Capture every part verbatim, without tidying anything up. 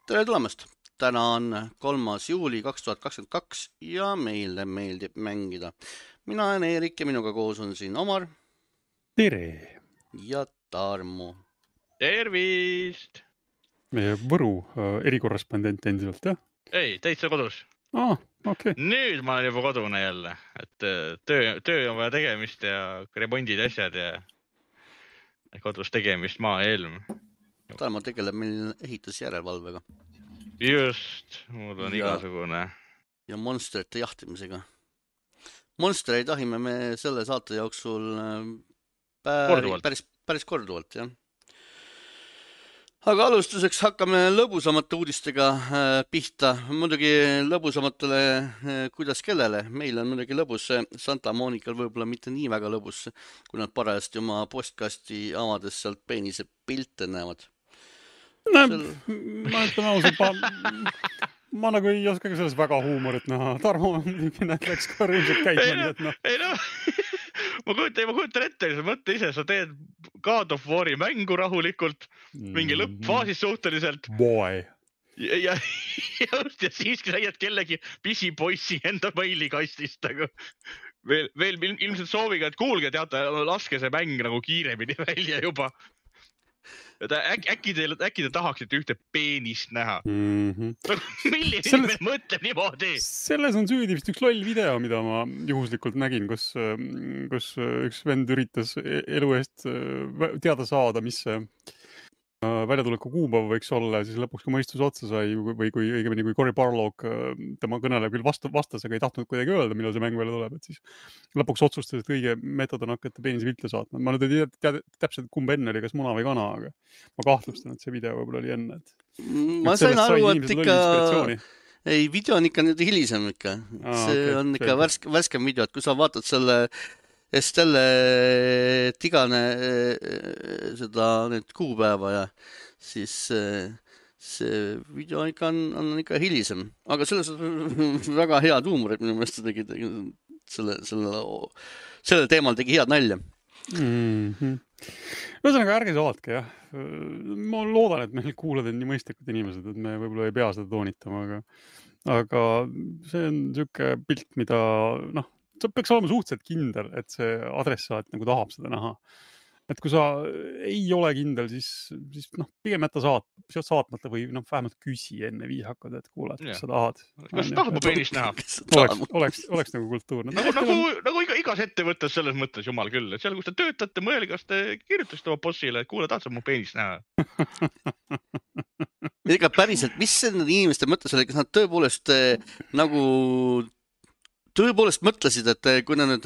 Tere tulemast! Täna on kolmas juuli kaks tuhat kakskümmend kaks ja meile meeldib mängida. Mina olen Eerik ja minuga koos on siin Omar Tere! ja Tarmo. Tervist! Meie Võru äh, erikorrespondent endiselt, jah? Ei, täitsa kodus. Ah, okei. Okay. Nüüd ma olen juba kodune jälle. Et töö, töö on vaja tegemist ja remondid asjad ja kodus tegemist maa ja ilm. Tarmo tegeleb meil ehitusjärelevalvega. Just, mul on ja, igasugune. Ja monsterite jahtimisega. Monstereid tahime me selle saate jooksul päris, päris, päris korduvalt, jah. Aga alustuseks hakkame lõbusamate uudistega pihta. Muidugi lõbusamatele, kuidas kellele. Meil on muidugi lõbus. Santa Monikal võib-olla mitte nii väga lõbus, kui nad parajasti oma postkasti avades sealt peenise pilte näevad. No, Sel... ma ütlen ausalt, ma, ma nagu ei oska ka selles väga huumorit näha. Tarmo läks ka rõimselt käima. Ei no, ei no. ma kujutan, ma kujutan ette, sa mõtle ise, sa teed God of War'i mängu rahulikult, mingi lõppfaasis suhteliselt. Boy. Ja, ja, ja, ja siiski leiad kellegi pisipoissi enda mailikastist. Nagu. Veel, veel ilmselt sooviga, et kuulge, teate, laske see mäng nagu kiiremini välja juba. Äk, äkki, te, äkki te tahaksite ühte peenist näha. Mm-hmm. Milline selles, inimene mõtleb niimoodi? Selles on süüdi vist üks loll video, mida ma juhuslikult nägin, kus, kus üks vend üritas elu eest teada saada, mis see väljatuleku kuupäev võiks olla ja siis lõpuks kui mõistus otsa sai või kui õigemini kui Cory Barlog tema kõnele küll vastu, vastas, aga ei tahtnud kuidagi öelda, millal see mäng välja tuleb, et siis lõpuks otsustas, et õige meetod on hakata peenise pilte saatma. Ma nüüd ei tea täpselt kumb enne oli, kas muna või kana, aga ma kahtlustan, et see video võib-olla oli enne. Et, ma et sain aru, et ikka ei, video on ikka nüüd hilisem ikka. Aa, see okay, on ikka värske, värskem video, et kui sa vaatad selle Estelle tigane seda nüüd kuupäeva ja siis see video ikka on, on ikka hilisem. Aga selles on väga head huumorit, minu meelest tegi selle, selle, selle teemal tegi head nalja. Mm-hmm. Ühesõnaga, ärge saatke, jah. Ma loodan, et meil kuulad on nii mõistlikud inimesed, et me võib-olla ei pea seda toonitama, aga, aga see on niisugune pilt, mida, noh, sa peaks olema suhteliselt kindel, et see adressaat nagu tahab seda näha. Et kui sa ei ole kindel, siis, siis noh, pigem jätta saat, saatmata või noh, vähemalt küsi enne viisakad, et kuulad, kas sa tahad. Kas tahab mu peenist näha? Oleks, oleks, oleks nagu kultuurne. Nagu, nagu, nagu iga, igas ettevõttes selles mõttes, jumal küll, et seal, kus te töötate, mõelge, kas te kirjutasite oma bossile, et kuule, tahad sa mu peenist näha? Ega päriselt, mis see inimeste mõttes oli, kas nad tõepoolest nagu tõepoolest mõtlesid, et kui nad nüüd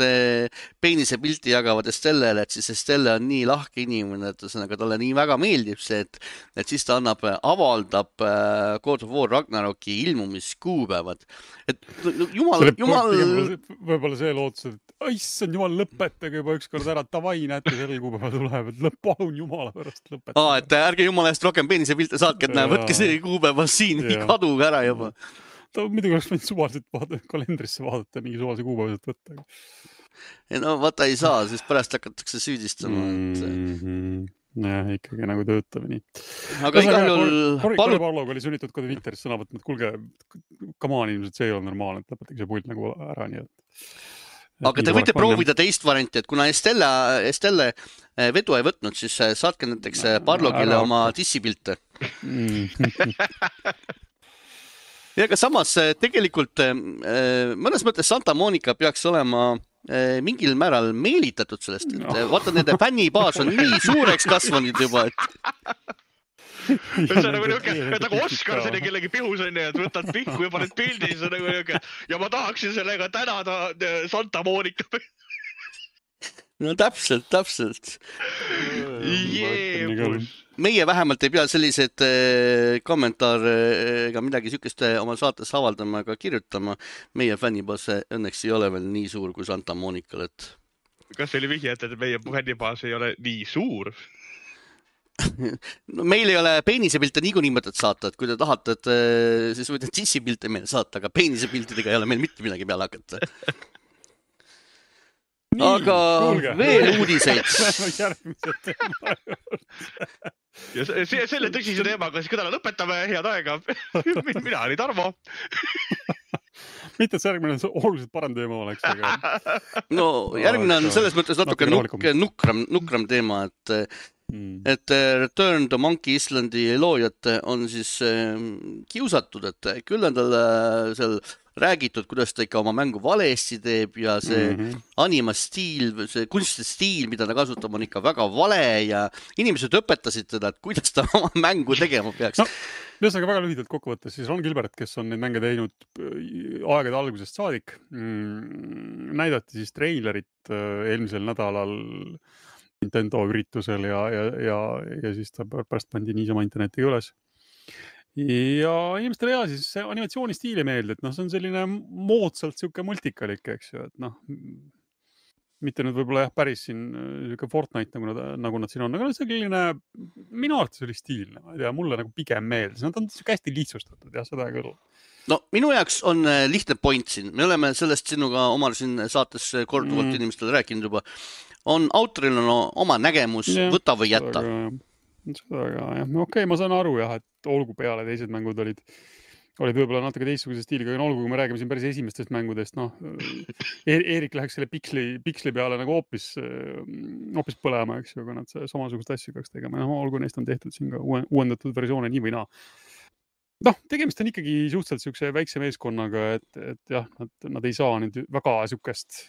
peenise pilti jagavad Estellele, et siis Estelle on nii lahke inimene, et sõnaga talle nii väga meeldib see, et, et siis ta annab, avaldab God of War Ragnaroki ilmumiskuupäevad. Et jumal, jumal... Võib-olla see lootus, et issand jumal, lõpetage juba ükskord ära, tavai näete selle kuupäeva tuleb, et lõpp, palun jumala pärast lõpetage. Aa, et ärge jumala eest rohkem peenise pilte saatke, et näe, võtke see kuupäeva siin, kaduge ära juba. Ta midagi oleks võinud suvaliselt vaadata, kalendrisse vaadata, mingi suvalise kuupäevaselt võtta. Ja no vaata ei saa, siis pärast hakatakse süüdistama. Et... Mm-hmm. Jah, ikkagi nagu töötab nii. Aga igal juhul... Cory palu... Barlog oli sunnitud kodu Twitteris sõna võtma, et kulge, come on, ilmselt see ei ole normaalne, et lõpetage see pult nagu ära nii. Et... Aga te võite proovida teist varianti, et kuna Estelle, Estelle vedu ei võtnud, siis saatke näiteks Barlogile ära, oma dissipilte. Ja aga samas tegelikult mõnes mõttes Santa Monica peaks olema mingil määral meelitatud sellest, et vaata, nende fännibaas on nii suureks kasvanud juba, et... See on nagu niisugune, et nagu Oskar selle kellegi pihus on ja võtad pihku ja paned pildi ja ma tahaksin sellega tänada Santa Monica. No täpselt, täpselt. Jeebus. Meie vähemalt ei pea sellised kommentaare ega midagi sükest oma saates avaldama ega kirjutama. Meie fännibaas õnneks ei ole veel nii suur kui Santa Monikal. Et... Kas see oli vihje, et meie fännibaas ei ole nii suur? No, meil ei ole peenisepilte niikuinii mõtet saata, et kui te tahate, et siis võite dissipilte meile saata, aga peenisepiltidega ei ole meil mitte midagi peale hakata. Nii, aga kuulge. Veel uudiseid. Järgmise teema juurde. Ja see, selle tõsise teemaga siis kõdala lõpetame, head aega. Mina oli Tarmo. Mitte, et see järgmine oluliselt parem teema oleks. Aga... No järgmine on selles mõttes natuke nuk, nukram, nukram teema, et, mm. et Return to Monkey Islandi loojad on siis kiusatud, et küll on tal seal räägitud, kuidas ta ikka oma mängu valesti teeb ja see mm-hmm. animastiil, see kunstide stiil, mida ta kasutab, on ikka väga vale ja inimesed õpetasid teda, et kuidas ta oma mängu tegema peaks. No, ühesõnaga väga lühidalt kokkuvõttes, siis Ron Gilbert, kes on neid mänge teinud aegade algusest saadik, mm, näidati siis treilerit eelmisel nädalal Nintendo üritusel ja, ja, ja, ja siis ta pärast pandi niisama internetiga üles. Ja inimestele ja siis see animatsioonistiili meelde, et noh, see on selline moodsalt siuke multikalik, eks ju, et noh, mitte nüüd võib-olla jah, päris siin siuke Fortnite, nagu nad, nagu nad siin on, aga see selline, minu arvates oli stiilne, ma ei tea, mulle nagu pigem meeldis, nad on siuke hästi lihtsustatud, jah, seda küll. No minu jaoks on lihtne point siin, me oleme sellest sinuga omal siin saates korduvalt mm. inimestele rääkinud juba, on autoril on oma nägemus, ja, võta või jätta. Seda ka, jah. Okei, okay, ma saan aru jah, et olgu peale teised mängud olid, olid võib-olla natuke teistsuguse stiiliga, aga olgu, kui me räägime siin päris esimestest mängudest, noh, Eerik läheks selle piksli, piksli peale nagu hoopis, hoopis põlema, eks ju, aga nad samasugust asju peaks tegema. No, olgu neist on tehtud siin ka uuendatud versioone nii või naa. Noh, tegemist on ikkagi suhteliselt siukse väikse meeskonnaga, et, et jah, nad, nad ei saa nüüd väga siukest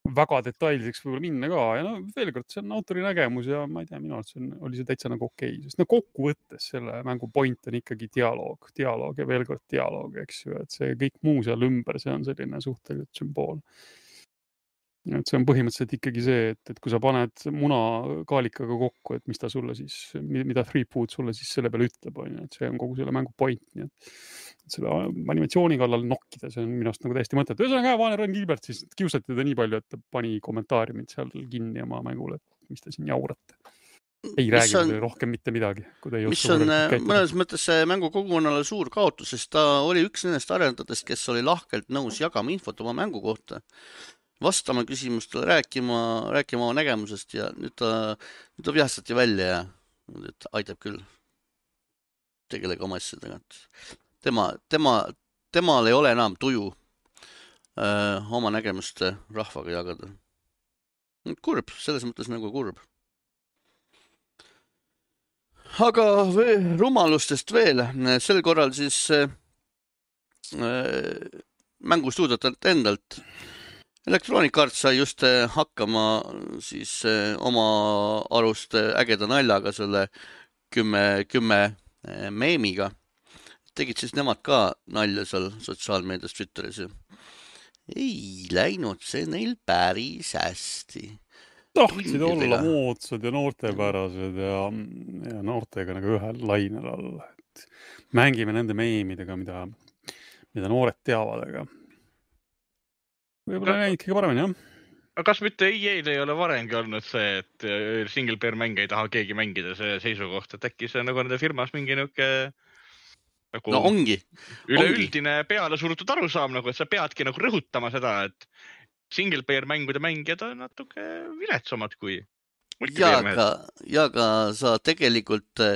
väga detailseks võib-olla minna ka ja no veel kord, see on autori nägemus ja ma ei tea, minu arvates oli see täitsa nagu okei, sest no kokkuvõttes selle mängu point on ikkagi dialoog, dialoog ja veel kord dialoog, eks ju, et see kõik muu seal ümber, see on selline suhteliselt sümbool. Et see on põhimõtteliselt ikkagi see, et, et kui sa paned muna kaalikaga kokku, et mis ta sulle siis, mida Three Food sulle siis selle peale ütleb, on, et see on kogu selle mängu point, nii et selle animatsiooni kallal nokkida, see on minust nagu täiesti mõtet. Ühesõnaga, Vaane Ron Gilbert siis kiusati teda nii palju, et ta pani kommentaari mind seal kinni oma mängule, et mis ta siin jaurate. Ei mis räägi on, rohkem mitte midagi. Mis on mõnes mõttes mängu kogukonnale suur kaotus, sest ta oli üks nendest arendajatest, kes oli lahkelt nõus jagama infot oma mängu kohta. Vastama küsimustele, rääkima, rääkima oma nägemusest ja nüüd ta, nüüd ta vihastati välja ja nüüd aitab küll tegelege oma asjadega. Tema, tema, temal ei ole enam tuju öö, oma nägemust rahvaga jagada. Kurb, selles mõttes nagu kurb. Aga veel, rumalustest veel. Sel korral siis öö, mängustuudiot endalt. Electronic Arts sai just hakkama siis oma arust ägeda naljaga selle kümme, kümme meemiga. Tegid siis nemad ka nalja seal sotsiaalmeedias Twitteris. Ei läinud see neil päris hästi. Tahtsid olla moodsad ja noortepärased ja, ja noortega nagu ühel lainel all. Et mängime nende meemidega, mida, mida noored teavad, aga võib-olla näid kõige paremini, jah? Kas mitte E A-l ei ole varemgi olnud see, et single player mänge ei taha keegi mängida see seisukoht, et äkki see nagu nende firmas mingi niuke nagu no ongi. üleüldine peale surutud arusaam, nagu, et sa peadki nagu rõhutama seda, et single player mängude mängijad on natuke viletsamad kui ja ka, ja ka sa tegelikult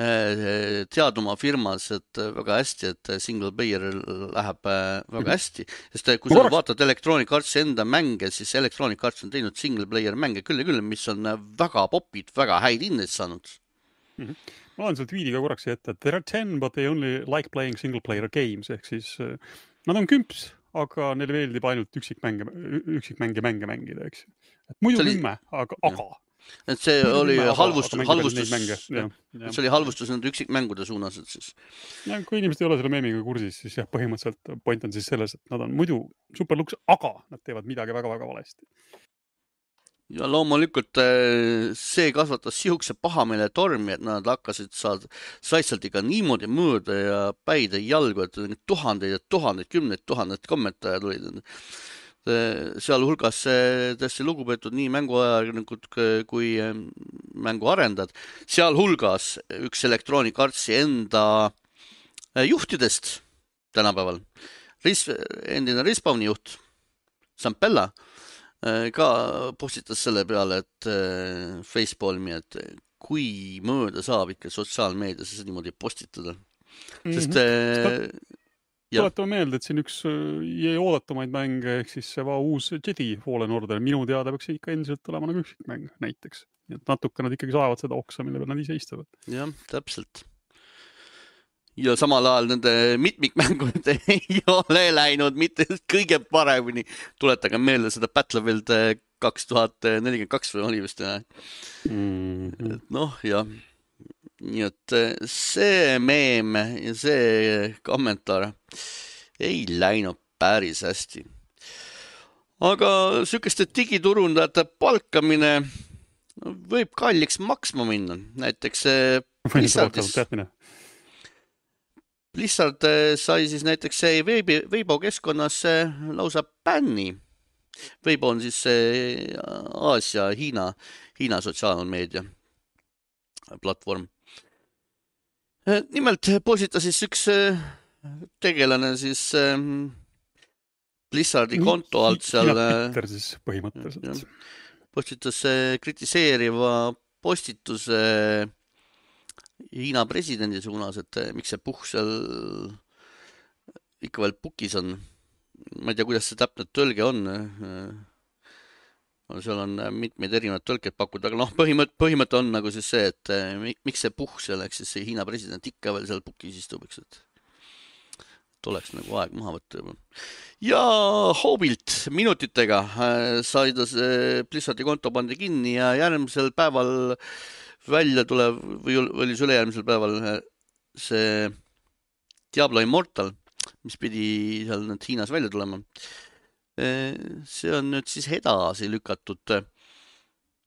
tead oma firmas, et väga hästi, et single player läheb väga hästi, sest kui sa vaatad Electronic Arts enda mänge, siis Electronic Arts on teinud single player mänge küll ja küll, mis on väga popid, väga häid hindeid saanud. Mm-hmm. Ma olen seal tweediga korraks ette, et there are ten, but they only like playing single player games, ehk siis nad on kümps, aga neile meeldib ainult üksikmänge, üksikmänge mänge mängida, eks. Et muidu oli... kümme, aga, aga et see oli halvustus, halvustus, see oli halvustus nende üksikmängude suunas, et siis. Ja kui inimesed ei ole selle meemiga kursis, siis jah, põhimõtteliselt point on siis selles, et nad on muidu superluks, aga nad teevad midagi väga-väga valesti. Ja loomulikult see kasvatas sihukese pahameele tormi, et nad hakkasid saad, saistselt ikka niimoodi mõõda ja päid ja jalgu, et tuhandeid ja tuhandeid, kümneid tuhandeid kommentaare tulid. Seal hulgas tõesti lugupeetud nii mänguajakirjanikud kui mänguarendajad. Seal hulgas üks Electronic Artsi enda juhtidest tänapäeval. Endine Respawni juht, Sampella, ka postitas selle peale, et Facepalmi, et kui mööda saab ikka sotsiaalmeedias niimoodi postitada. Mm-hmm. Sest äh, tuletame meelde, et siin üks jäi oodatumaid mänge, ehk siis see uus Jedi Fallen Order, minu teada peaks ikka endiselt olema nagu üksikmäng näiteks. Nii et natuke nad ikkagi saavad seda oksa, mille peal nad ise istuvad. Jah, täpselt. Ja samal ajal nende mitmikmängud ei ole läinud mitte kõige paremini. Tuletage meelde seda Battlefield kaks tuhat nelikümmend kaks või oli vist. Mm-hmm. Noh, jah. Nii et see meem ja see kommentaar ei läinud päris hästi. Aga sükeste digiturundajate palkamine võib kalliks maksma minna. Näiteks Blizzardis... Blizzard sai siis näiteks see Weibo, Weibo keskkonnas lausa bänni. Weibo on siis Aasia, Hiina, Hiina sotsiaalmeedia platvorm. Nimelt postitas siis üks tegelane siis Blizzardi konto alt seal Twitter siis põhimõtteliselt. Postitas kritiseeriva postituse Hiina presidendi suunas, et miks see puh seal ikka veel pukis on. Ma ei tea, kuidas see täpne tõlge on. Seal on mitmeid erinevad tõlked pakutud, aga noh, põhimõte, põhimõte on nagu siis see, et miks see puh seal, eks siis see Hiina president ikka veel seal pukis istub, eks, et oleks nagu aeg maha võtta juba. Ja Hobilt minutitega sai ta see Blizzardi konto pandi kinni ja järgmisel päeval välja tuleb, või oli see ülejärgmisel päeval see Diablo Immortal, mis pidi seal nüüd Hiinas välja tulema. See on nüüd siis edasi lükatud.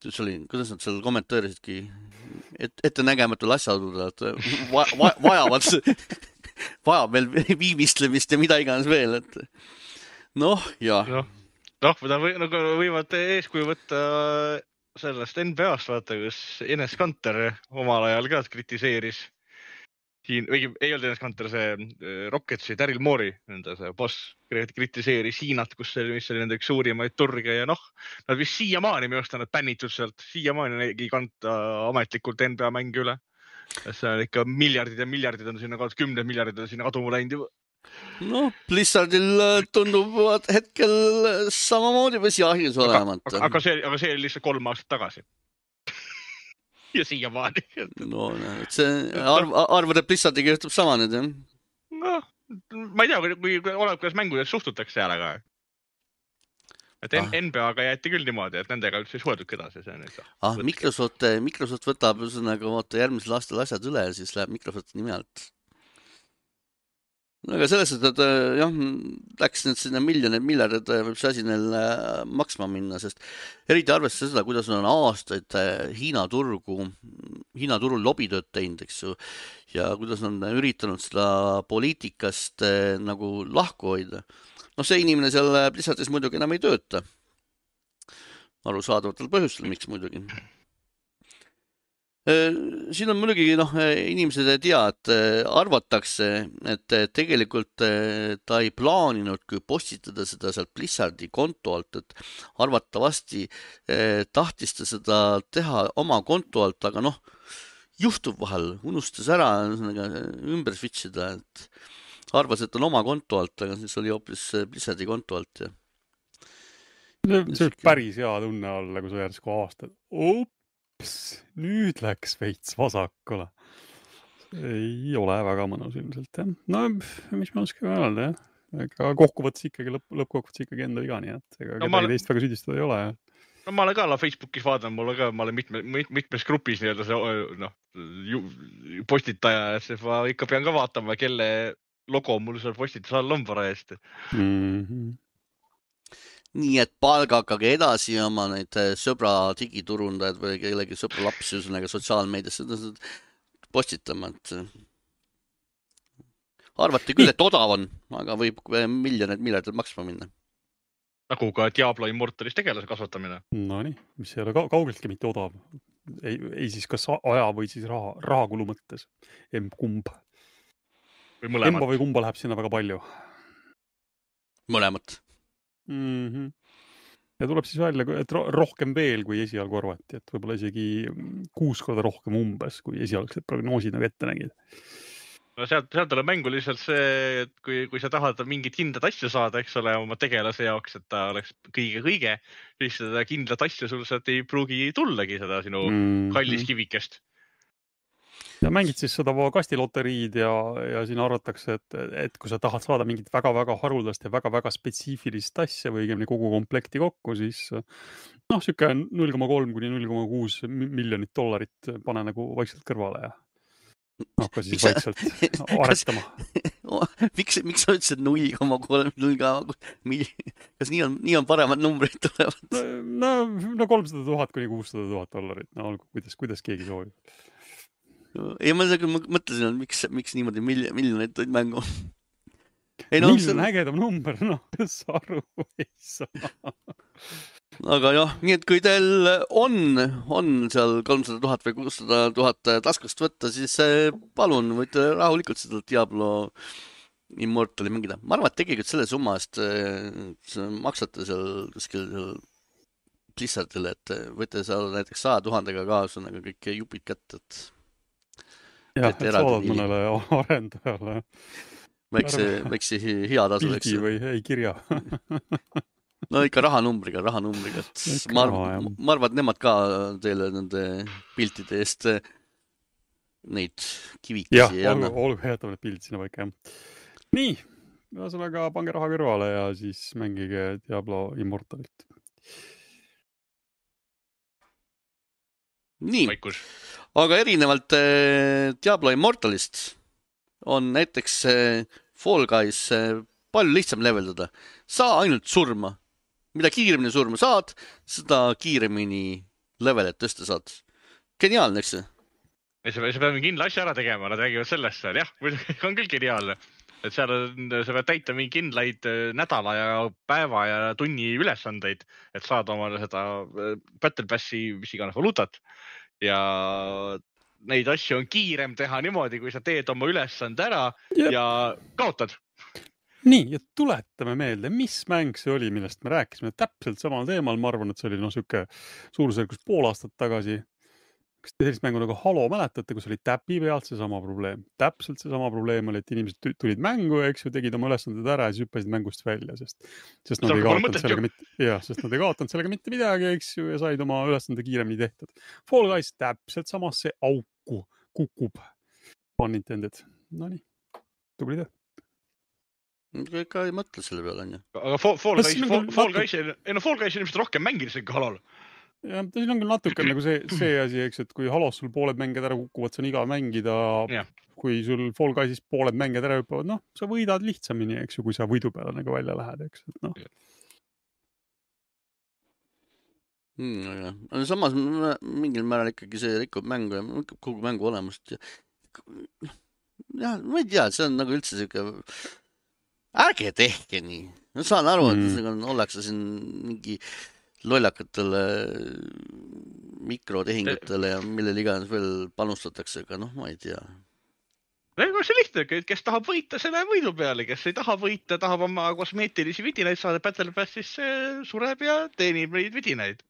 See oli, kuidas nad seal kommentaarisidki et, ettenägematul asjaoludel, et va, va, vajavad, vajab veel viimistlemist ja mida iganes veel. Et noh, jah. Noh, noh võda või, nagu võivad eeskuju võtta sellest N B A-st, vaata, kus Enes Kanter omal ajal ka kritiseeris siin, või ei olnud Enes Kanter, see Rocketsi Daryl Morey, nende see boss, kritiseeris Hiinat, kus see, mis oli nende üks suurimaid turge ja noh, nad vist siiamaani, minu arust on nad bännitud sealt, siiamaani ei kanta ametlikult N B A mänge üle. See on ikka miljardid ja miljardid on sinna kaotud, kümned miljardid on sinna kaduma läinud juba. No, Blizzardil tundub hetkel samamoodi vesiahjus olevat. Aga, aga, see, aga see oli lihtsalt kolm aastat tagasi. Ja siiamaani. No, see arv, arvad, et Blizzardiga juhtub sama nüüd, jah? No, ma ei tea, kui, kui oleb, kuidas mängudes suhtutakse seal, aga et ah. N B A-ga jäeti küll niimoodi, et nendega üldse ei suhetud edasi. See nüüd, ah, Microsoft, Microsoft võtab nagu järgmisel aastal asjad üle ja siis läheb Microsofti nime alt. No, aga selles, et jah, läks nüüd sinna miljonid, miljardid võib see asi neil maksma minna, sest eriti arvestades seda, kuidas on aastaid Hiina turgu, Hiina turul lobitööd teinud, eks ju, ja kuidas on üritanud seda poliitikast nagu lahku hoida. No see inimene seal Blizzardis muidugi enam ei tööta. Arusaadavatel põhjustel, miks muidugi. Siin on muidugi, noh, inimesed ei tea, et arvatakse, et tegelikult ta ei plaaninud, kui postitada seda sealt Blizzardi konto alt, et arvatavasti tahtis ta seda teha oma konto alt, aga noh, juhtub vahel, unustas ära ümber switchida, et arvas, et on oma konto alt, aga siis oli hoopis Blizzardi konto alt. Ja. See on päris hea tunne olla, kui sa järsku aastad. Oop! Nüüd läks veits vasakule. Ei ole väga mõnus ilmselt, jah. No, mis ma oskagi öelda, jah. Ega kokkuvõttes ikkagi, lõpp, lõppkokkuvõttes ikkagi enda viga, nii et ega no, kedagi teist väga süüdistada ei ole. No ma olen ka Facebookis vaadanud, mul ka, ma olen mitme, mitmes grupis nii-öelda see, noh, postitaja, et ma ikka pean ka vaatama, kelle logo mul seal postitus all on parajasti. Mm-hmm. Nii et palga hakkage edasi oma neid sõbra digiturundajad või kellegi sõbra lapsi üsõnaga sotsiaalmeediasse postitama. Arvati küll, et odav on, aga võib miljonid miljardid maksma minna. Nagu ka Diablo Immortalis tegelase kasvatamine. No nii, mis ei ole kaugeltki mitte odav. Ei, ei siis kas aja või siis raha, rahakulu mõttes. Kumb. Või mõlemat. Emba või kumba läheb sinna väga palju. Mõlemat. Mm-hmm. ja tuleb siis välja, et rohkem veel kui esialgu arvati, et võib-olla isegi kuus korda rohkem umbes, kui esialgsed prognoosid nagu ette nägid. No sealt, sealt tuleb mängu lihtsalt see, et kui, kui sa tahad mingit kindlat asja saada, eks ole, oma tegelase jaoks, et ta oleks kõige-kõige, siis seda kindlat asja sul sealt ei pruugi tullagi seda sinu mm. kallis kivikest. Ja mängid siis seda kastiloteriid ja, ja siin arvatakse, et, et kui sa tahad saada mingit väga-väga haruldast ja väga-väga spetsiifilist asja või õigemini kogu komplekti kokku, siis noh, siuke null koma kolm kuni null koma kuus miljonit dollarit pane nagu vaikselt kõrvale ja hakka siis miks vaikselt sa... aretama. miks, miks sa ütlesid null koma kolm, null koma kolm, kas nii on, nii on paremad numbrid tulevad? No, no kolmsada tuhat kuni kuussada tuhat dollarit, no olgu, kuidas, kuidas keegi soovib. Ei, ma mõtlesin, et miks, miks niimoodi miljon, miljonit olid mängu. Ei, no, miljon see... ägedam number, noh, sa aru ei saa. Aga jah, nii et kui teil on, on seal kolmsada tuhat või kuussada tuhat taskust võtta, siis palun, võite rahulikult seda Diablo Immortali mängida. Ma arvan, et tegelikult selle summa eest maksate seal kuskil Blizzardile, et võite saada näiteks saja tuhandega kaasa nagu kõik jupid kätt, et jah, et saadad mõnele arendajale väikse, väikse hea tasu, eks. Pildi või ei kirja. No ikka rahanumbriga, rahanumbriga. Ma, ma arvan, et nemad ka teile nende piltide eest neid kivikesi jah, ei anna. Jah, olgu, olgu jätame need pildid sinna paika. Nii, ühesõnaga pange raha kõrvale ja siis mängige Diablo Immortalit. Nii, Vaikus. Aga erinevalt äh, Diablo Immortalist on näiteks äh, Fall Guys äh, palju lihtsam leveldada. Saa ainult surma. Mida kiiremini surma saad, seda kiiremini levelet tõsta saad. Geniaalne, eks see? Sa pead kindla asja ära tegema, nad räägivad sellest seal. Jah, on küll geniaalne. Et seal on, sa pead täita mingi kindlaid nädala ja päeva ja tunni ülesandeid, et saada omale seda Battle Passi, mis iganes valuutat. Ja neid asju on kiirem teha niimoodi, kui sa teed oma ülesande ära Jep. ja kaotad. Nii, ja tuletame meelde, mis mäng see oli, millest me rääkisime täpselt samal teemal. Ma arvan, et see oli no, süke suurusjärgus pool aastat tagasi. Kas te sellist mängu nagu Halo mäletate, kus oli täpi pealt see sama probleem? Täpselt see sama probleem oli, et inimesed tulid mängu, eks ju, tegid oma ülesanded ära ja hüppasid mängust välja, sest, sest, nad ei kaotanud sellega mitte, jah, sest nad ei kaotanud sellega mitte midagi, eks ju, ja said oma ülesande kiiremini tehtud. Fall Guys täpselt samas see auku kukub. On intended. No nii, tubli töö. Ega ei mõtle selle peale, on ju. Aga Fall Guys, Fall, Fall Guys, ei no Fall Guys ilmselt rohkem mängides ikka Halol. Ja siin on küll natuke nagu see, see asi, eks, et kui Halos sul pooled mängijad ära kukuvad, see on igav mängida. Ja. Kui sul Fall Guys'is pooled mängijad ära hüppavad, noh, sa võidad lihtsamini, eks ju, kui sa võidu peale nagu välja lähed, eks, et noh. Hmm, ja. Samas mingil määral ikkagi see rikub mängu ja kogu mängu olemust. Ja, ma ei tea, see on nagu üldse siuke... Ärge tehke nii. Ma saan aru, et mm. ollakse siin mingi lollakatele mikrotehingutele ja millele iganes veel panustatakse, aga noh, ma ei tea. Ega see lihtne, kes tahab võita, see läheb võidu peale, kes ei taha võita, tahab oma kosmeetilisi vidinaid saada Battle Passis, sureb ja teenib neid vidinaid.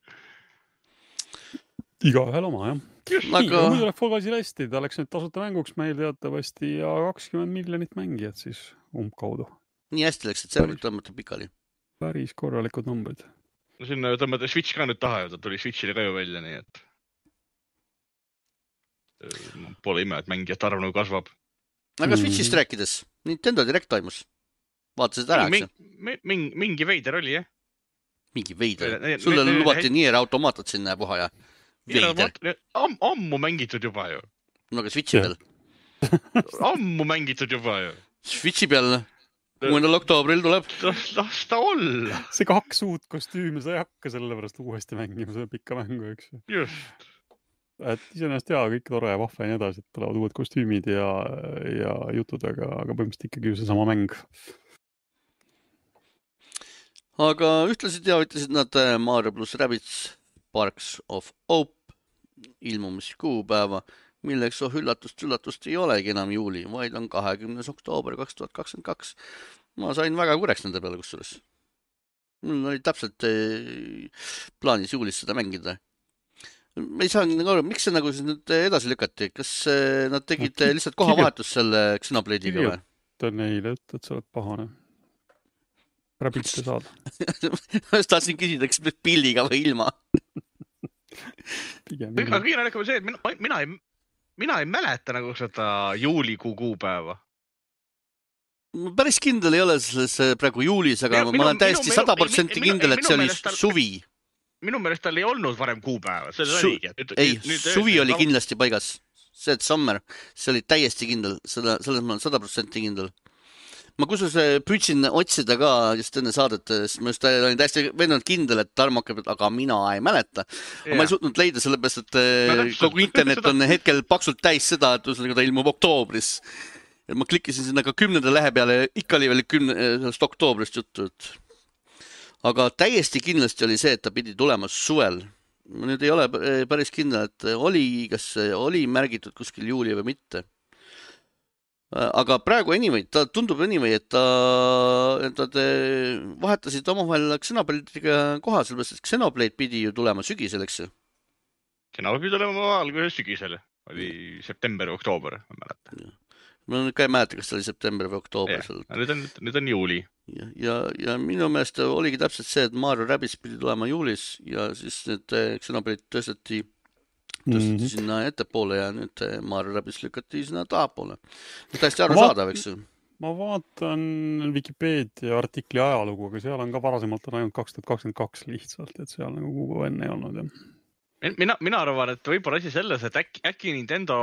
Iga ühel oma, jah. Just, aga... nii, muidu läheb Fall Guysile hästi, ta läks nüüd tasuta mänguks meil teatavasti ja kakskümmend miljonit mängijat siis umbkaudu. Nii hästi läks, et serverit tõmmata pikali. Päris korralikud numbrid. No sinna tõmmata Switch ka nüüd taha ja ta tuli Switchile ka ju välja, nii et pole ime, et mängijate arv nagu kasvab. Aga Switchist mm. rääkides, Nintendo Direct toimus. Vaatasid ära, eks? Mingi, mingi veider oli, jah? Mingi veider? Sulle ne, lubati ne, Nier Automatat sinna puha ja veider. Am, ammu mängitud juba ju. No aga Switchi peal? Ammu mängitud juba ju. Switchi peal kuuendal oktoobril tuleb. Las ta olla. See kaks uut kostüümi sa ei hakka sellepärast uuesti mängima, see pikka mängu, eks. Just. Et iseenesest jaa, kõik tore ja vahva ja nii edasi, et tulevad uued kostüümid ja, ja jutud, aga, aga põhimõtteliselt ikkagi ju see sama mäng. Aga ühtlasi teavitasid nad Mario plus Rabbids Sparks of Hope ilmumiskuupäeva, milleks oh üllatust üllatust ei olegi enam juuli, vaid on kahekümnes oktoober kaks tuhat kakskümmend kaks. Ma sain väga kureks nende peale kusjuures. mul oli täpselt plaanis juulis seda mängida. Ma ei saa nagu aru, miks see nagu siis nüüd edasi lükati? Kas nad tegid no, lihtsalt kohavahetust selle Xenoblade'iga või? Ta neile, et, et sa oled pahane. Ära pilte saada. Ma tahtsin küsida, kas pildiga või ilma. Aga kiire on see, et mina, mina, ei, mina ei mäleta nagu seda juulikuu kuupäeva. Päris kindel ei ole selles praegu juulis, aga minu, ma olen täiesti sada protsenti kindel, et see oli tal... suvi. Minu meelest tal ei olnud varem kuupäeva. See Su... nüüd, ei, nüüd suvi oli kindlasti paigas. See, et summer, see oli täiesti kindel. Seda, selles ma olen sada protsenti kindel. Ma kusus püüdsin otsida ka just enne saadet, sest ma just olin täiesti veendunud kindel, et Tarmo hakkab, aga mina ei mäleta. Ja. Ma ei suutnud leida sellepärast, et no, kogu internet on hetkel paksult täis seda, et ta ilmub oktoobris. Ja ma klikkisin sinna ka kümnenda lehe peale ja ikka oli veel kümne, sellest oktoobrist juttu. Aga täiesti kindlasti oli see, et ta pidi tulema suvel. Ma nüüd ei ole päris kindel, et oli, kas oli märgitud kuskil juuli või mitte. Aga praegu anyway, ta tundub anyway, et, ta, et nad vahetasid omavahel Xenoblade'iga koha, sellepärast, et Xenoblade pidi ju tulema sügisel, eks ju? Xenoblade pidi tulema alguses sügisel. Oli september või oktoober, ma mäletan. Ma ka ei mäleta, kas see oli september või oktoober. Ja, nüüd, on, nüüd on juuli. Ja, ja, ja minu meelest oligi täpselt see, et Mario Rabbids pidi tulema juulis ja siis need Xenoblade tõsteti, tõsteti mm-hmm. sinna ettepoole ja nüüd Mario Rabbids lükati sinna tahapoole. Täiesti aru saadav, eks ju? Ma vaatan Wikipeedia artikli ajalugu, aga seal on ka varasemalt on ainult kaks tuhat kakskümmend kaks lihtsalt, et seal nagu kuupäeva enne ei olnud. Ja. Mina, mina arvan, et võib-olla asi selles, et äkki, äkki Nintendo,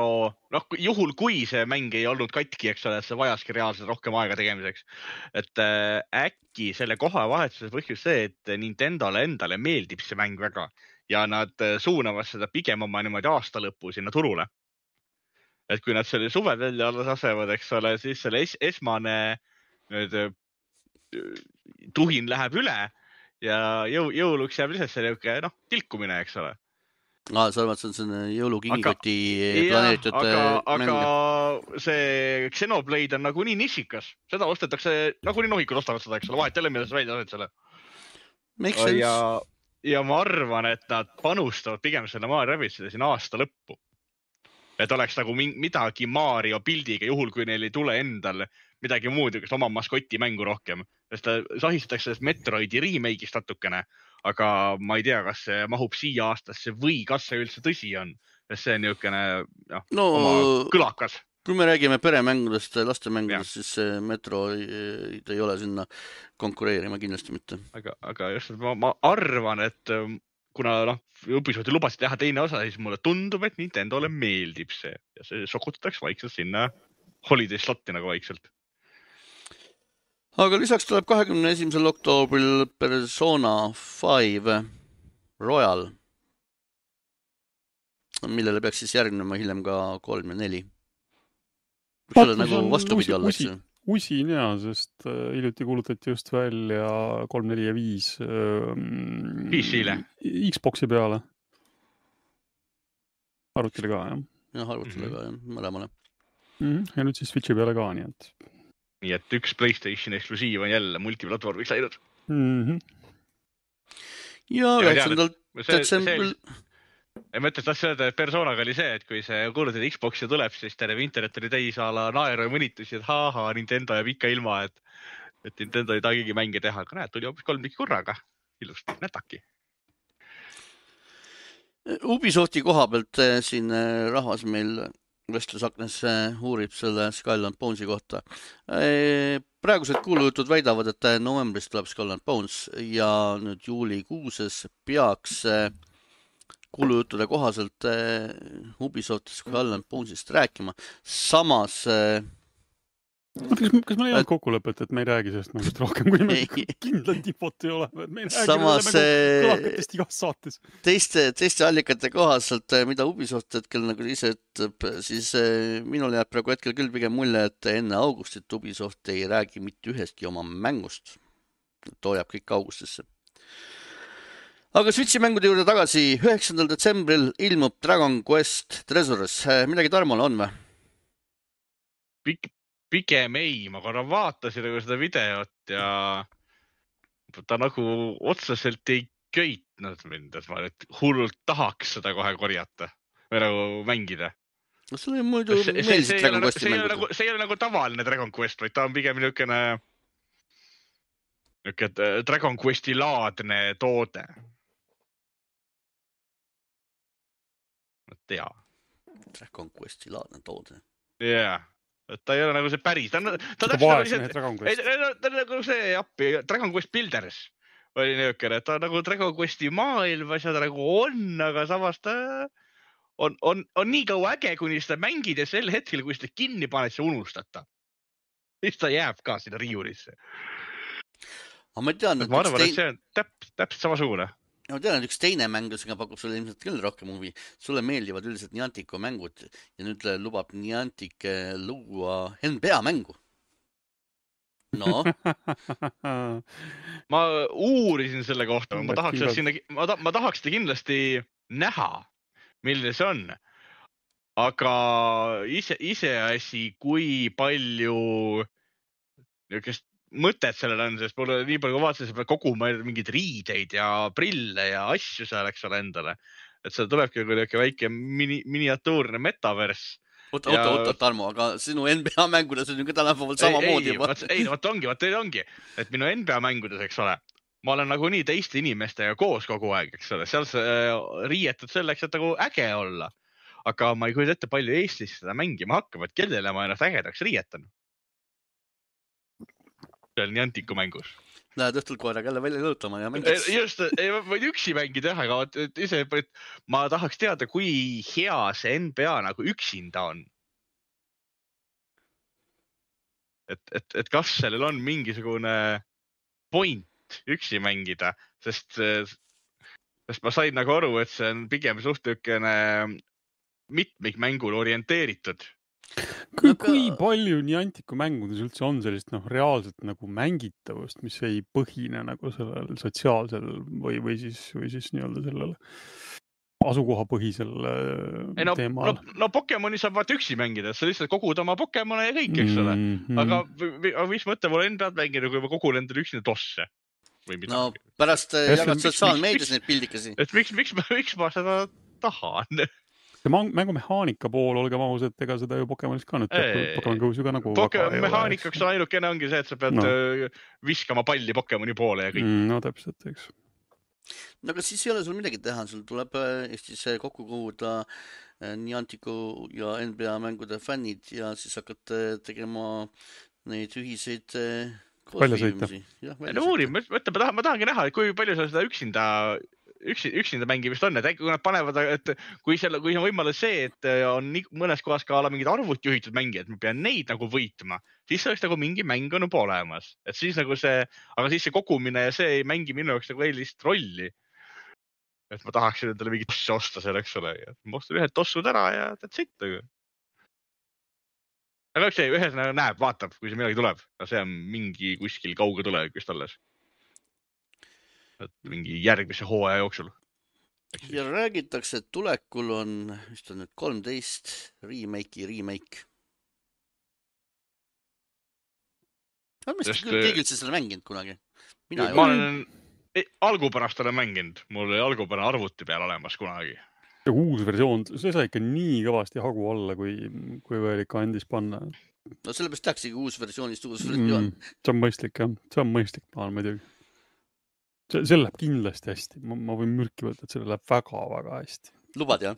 noh, juhul kui see mäng ei olnud katki, eks ole, et see vajaski reaalselt rohkem aega tegemiseks. Et äh, äkki selle koha vahetuse põhjus see, et Nintendole endale meeldib see mäng väga ja nad suunavad seda pigem oma niimoodi aasta lõppu sinna turule. Et kui nad selle suvel välja alles asevad, eks ole, siis selle es esmane nüüd, tuhin läheb üle ja jõu jõuluks jääb lihtsalt see noh, tilkumine, eks ole. Ah, sa arvad, see on selline jõulukingikoti planeeritud aga, aga see Xenoblade on nagu nii nišikas. Seda ostetakse, nagu nii nohikud ostavad seda, eks ole, vahet jälle, milles välja ased selle. Ja, ja ma arvan, et nad panustavad pigem selle Mario Rabbidsile siin aasta lõppu. Et oleks nagu midagi Mario pildiga, juhul kui neil ei tule endal midagi muud, kas oma maskoti mängu rohkem. Sest ta sahistatakse sellest Metroidi remake'ist natukene. Aga ma ei tea, kas see mahub siia aastasse või kas see üldse tõsi on. Sest see on niisugune noh, no, oma kõlakas. Kui me räägime peremängudest, lastemängudest, ja. Siis Metro ei, ei ole sinna konkureerima kindlasti mitte. Aga, aga just, ma, ma arvan, et kuna noh, Ubisofti lubasid teha teine osa, siis mulle tundub, et Nintendole meeldib see. Ja see sokutatakse vaikselt sinna holiday slotti nagu vaikselt. Aga lisaks tuleb kahekümne esimesel oktoobril Persona viis Royal, millele peaks siis järgnema hiljem ka kolm ja neli. See on nagu vastupidi olla, eks ju? Usin jaa, sest hiljuti kuulutati just välja kolm, neli ja viis P C-le. Xboxi peale. Arvutile ka, jah? Jah, arvutile mm-hmm. ka, jah, mõlemale. Mm-hmm. Ja nüüd siis Switchi peale ka, nii et... Nii et üks PlayStation eksklusiiv on jälle multiplatvormiks läinud. Mm-hmm. Ja üheksandal detsembril... Ja mõttes tahtsin öelda, et Personaga oli see, et kui see kuulutad Xboxi tuleb, siis terve internet oli täis ala naeru ja mõnitusi, et haha, Nintendo jääb ikka ilma, et, et Nintendo ei tahagi mänge teha. Aga näed, tuli hoopis kolm tükki korraga. Ilusti, nätaki. Ubisofti koha pealt siin rahvas meil... Vestlusaknes uurib selle Skull and Bonesi kohta. Praegused kuulujutud väidavad, et novembris tuleb Skull and Bones ja nüüd juulikuuses peaks kuulujuttude kohaselt Ubisoft Skull and Bonesist rääkima. Samas... Kas, kas meil ei olnud kokkulepet, et me ei räägi sellest mängust rohkem, kui me kindlalt infot ei ole? Me ei räägi Samas, kõlakatest igas saates. Teiste, teiste allikate kohaselt, mida Ubisoft hetkel nagu ise ütleb, siis minul jääb praegu hetkel küll pigem mulje, et enne augustit Ubisoft ei räägi mitte ühestki oma mängust. Too jääb kõik augustisse. Aga Switchi mängude juurde tagasi. üheksandal detsembril ilmub Dragon Quest Treasures. Midagi Tarmole on või? Pik Pigem ei, ma korra vaatasin seda videot ja ta nagu otseselt ei köitnud mind, et ma nüüd hullult tahaks seda kohe korjata või nagu mängida. No sulle muidu meeldisid Dragon Questi mängud. Nagu, see ei ole nagu tavaline Dragon Quest, vaid ta on pigem niisugune niisugune Dragon Questi laadne toode. Ma tea. Dragon Questi laadne toode. Jaa. Yeah. Ta ei ole nagu see päris. Ta on, ta vaesne Dragon Quest. Ta on nagu see appi, Dragon Quest Builders oli niisugune, et ta on nagu Dragon Questi maailm, asjad nagu on, aga samas ta on, on, on nii kaua äge, kuni seda mängid ja sel hetkel, kui seda kinni paned, see unustata. Siis ta jääb ka sinna riiurisse. Aga ma tean, et ma arvan, tein... et see on täp, täpselt samasugune. Ma tean, et üks teine mängusega pakub sulle ilmselt küll rohkem huvi. Sulle meeldivad üldiselt Niantico mängud ja nüüd lubab Niantic luua N B A mängu. No. ma uurisin selle kohta, ma tahaks, sinna, ma, ta, ma tahaks seda kindlasti näha, milline see on. Aga ise, iseasi, kui palju niisugust mõtet sellel on, sest mulle nii palju vaatasin, et koguma mingid riideid ja prille ja asju seal, eks ole endale. Et seal tulebki niisugune väike mini, miniatuurne metavers. Oota, ja... oota, oota, Tarmo, aga sinu N B A mängudes on ju ka tänapäeval samamoodi. Ei, vaat, ei, vaat ongi, vaat ei ongi, et minu N B A mängudes, eks ole, ma olen nagu nii teiste inimestega koos kogu aeg, eks ole, seal see riietud selleks, et nagu äge olla. Aga ma ei kujuta ette palju Eestis seda mängima hakkab, et kellele ma ennast ägedaks riietan. Seal Niantico mängus. Lähed õhtul koeraga jälle välja lõutama ja mängid. Just, ei võid üksi mängida, aga ise, et ma tahaks teada, kui hea see N B A nagu üksinda on. Et, et, et kas sellel on mingisugune point üksi mängida, sest, sest ma sain nagu aru, et see on pigem suhtükene mitmikmängul orienteeritud. Kui, kui palju Niantico mängudes üldse on sellist noh, reaalselt nagu mängitavust, mis ei põhine nagu sellel sotsiaalsel või, või siis, või siis nii-öelda sellel asukohapõhisel ei, no, teemal? No, no Pokemoni saab vaat üksi mängida, sa lihtsalt kogud oma Pokemone ja kõik, eks ole. Mm-hmm. Aga mis mõte mulle enda pealt mängida, kui ma kogun endale üksinda tosse? No pärast jagad sotsiaalmeedias neid pildikasi. Et miks, miks, miks ma seda tahan? See mängumehaanika pool, olgem ausad, ega seda ju Pokemonis ka nüüd teatud Pokemon Go's ju ka nagu Mehanikaks on ainukene ongi see, et sa pead no. viskama palli Pokemoni poole ja kõik. Mm, no täpselt, eks. No aga siis ei ole sul midagi teha, sul tuleb Eestis kokku koguda Niantico ja N B A mängude fännid ja siis hakkad tegema neid ühiseid koosviimisi. No uurim, ma, ma, tahan, ma tahangi näha, kui palju sa seda üksinda Üksi, üksinda mängimist on, et äkki kui nad panevad, et kui, selle, kui on võimalus see, et on mõnes kohas ka mingid arvut juhitud mängijad, ma pean neid nagu võitma, siis oleks nagu mingi mäng on juba olemas. Et siis nagu see, aga siis see kogumine ja see ei mängi minu jaoks nagu eelist rolli. Et ma tahaksin endale mingi tossi osta seal, eks ole. Ma ostan ühed tossud ära ja that's it. Aga üks see ühes näeb, vaatab, kui see midagi tuleb. See on mingi kuskil kauge tulevikust alles. Mingi järgmise hooaja jooksul. Ja räägitakse, et tulekul on, mis ta nüüd, kolmteist remake'i remake. Ma mõista, Sest, keegi üldse seda mänginud kunagi. Mina ma olen, algupärast olen mänginud. Mul oli algupärast arvuti peal olemas kunagi. Ja uus versioon, see sai ikka nii kõvasti hagu alla, kui, kui veel ikka andis panna. No sellepärast tähtsegi uus versioonist uus versioon. Mm, see on mõistlik, jah. See on mõistlik, ma olen muidugi. See, see läheb kindlasti hästi. Ma, ma võin mürki võtta, et see läheb väga-väga hästi. Lubad, jah?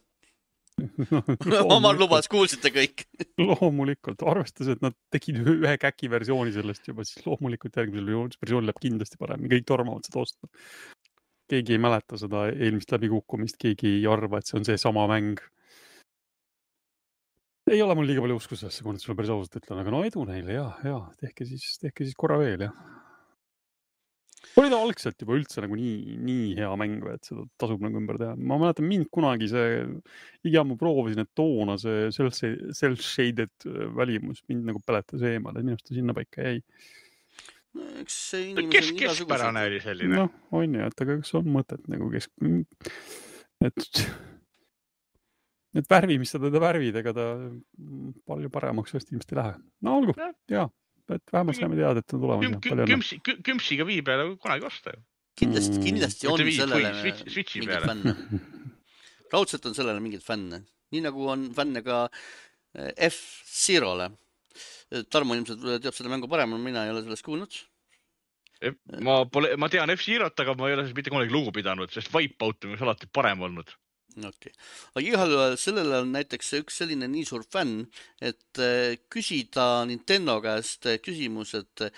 Omar lubas, kuulsite kõik. Loomulikult. Arvestas, et nad tegid ühe käki versiooni sellest juba, siis loomulikult järgmisel versioon läheb kindlasti parem. Kõik tormavad seda osta. Keegi ei mäleta seda eelmist läbikukkumist, keegi ei arva, et see on see sama mäng. Ei ole mul liiga palju usku sellesse, kui nad sulle päris ausalt ütlen, aga no edu neile, jah, jah, tehke siis, tehke siis korra veel, jah. Oli ta algselt juba üldse nagu nii, nii hea mäng, et seda tasub nagu ümber teha. Ma mäletan mind kunagi see, iga ma proovisin, et toona see self-shaded välimus mind nagu peletas eemal, et minust ta sinna paika jäi. No, eks see inimese kes, keskpärane oli selline? No, on ju, et aga kas on mõtet nagu kesk... Et, et värvi, mis sa teda värvid, ega ta palju paremaks vast ilmselt ei lähe. No olgu, jaa. et vähemalt saime teada, et on tulemas. Kümpsi, kümpsiga vii peale kunagi osta ju. Kindlasti, kindlasti on sellele mingid fänne. Raudselt on sellele mingid fänne. Nii nagu on fänne ka F-Zero'le. Tarmo ilmselt teab seda mängu parem, mina ei ole sellest kuulnud. Ma, pole, ma tean F-Zero't, aga ma ei ole mitte kunagi lugu pidanud, sest Wipeout on alati parem olnud. Okay. Aga igal sellele on näiteks üks selline nii suur fänn, et küsida Nintendo käest küsimus, et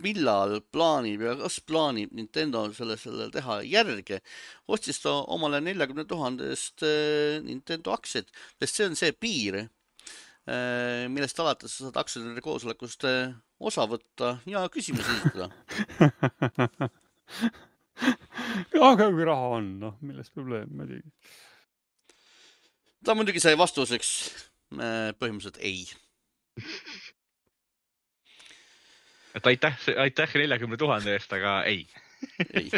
millal plaanib ja kas plaanib Nintendo selle, selle teha järge, ostis ta omale neljakümne tuhandest Nintendo aktsiat, sest see on see piir, millest alates sa saad aktsiaturide koosolekust osa võtta ja küsimusi esitada. Aga kui raha on, noh, milles probleem, ma tegi. Ta muidugi sai vastuseks põhimõtteliselt ei. Et aitäh, aitäh neljakümne tuhande eest, aga ei. ei.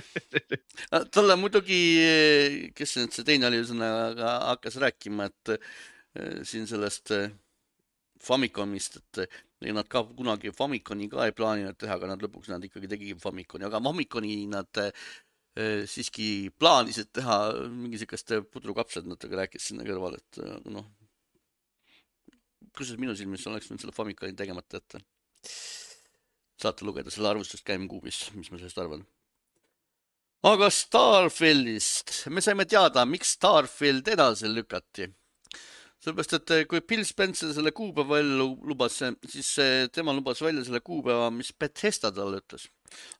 Talle muidugi, kes see teine oli, aga hakkas rääkima, et siin sellest Famicomist, et nad ka kunagi Famiconi ka ei plaaninud teha, aga nad lõpuks nad ikkagi tegigi Famiconi, aga Famiconi nad siiski plaanisid teha mingi selliste pudrukapsed, nad rääkis sinna kõrval, et noh, kusjuures minu silmis oleks nüüd selle Famiconi tegemata ette. Saate lugeda selle arvustust GameCube'is, mis ma sellest arvan. Aga Starfieldist. Me saime teada, miks Starfield edasi lükati. Sellepärast, et kui Bill Spencer selle kuupäeva välja lubas, siis tema lubas välja selle kuupäeva, mis Bethesda talle ütles.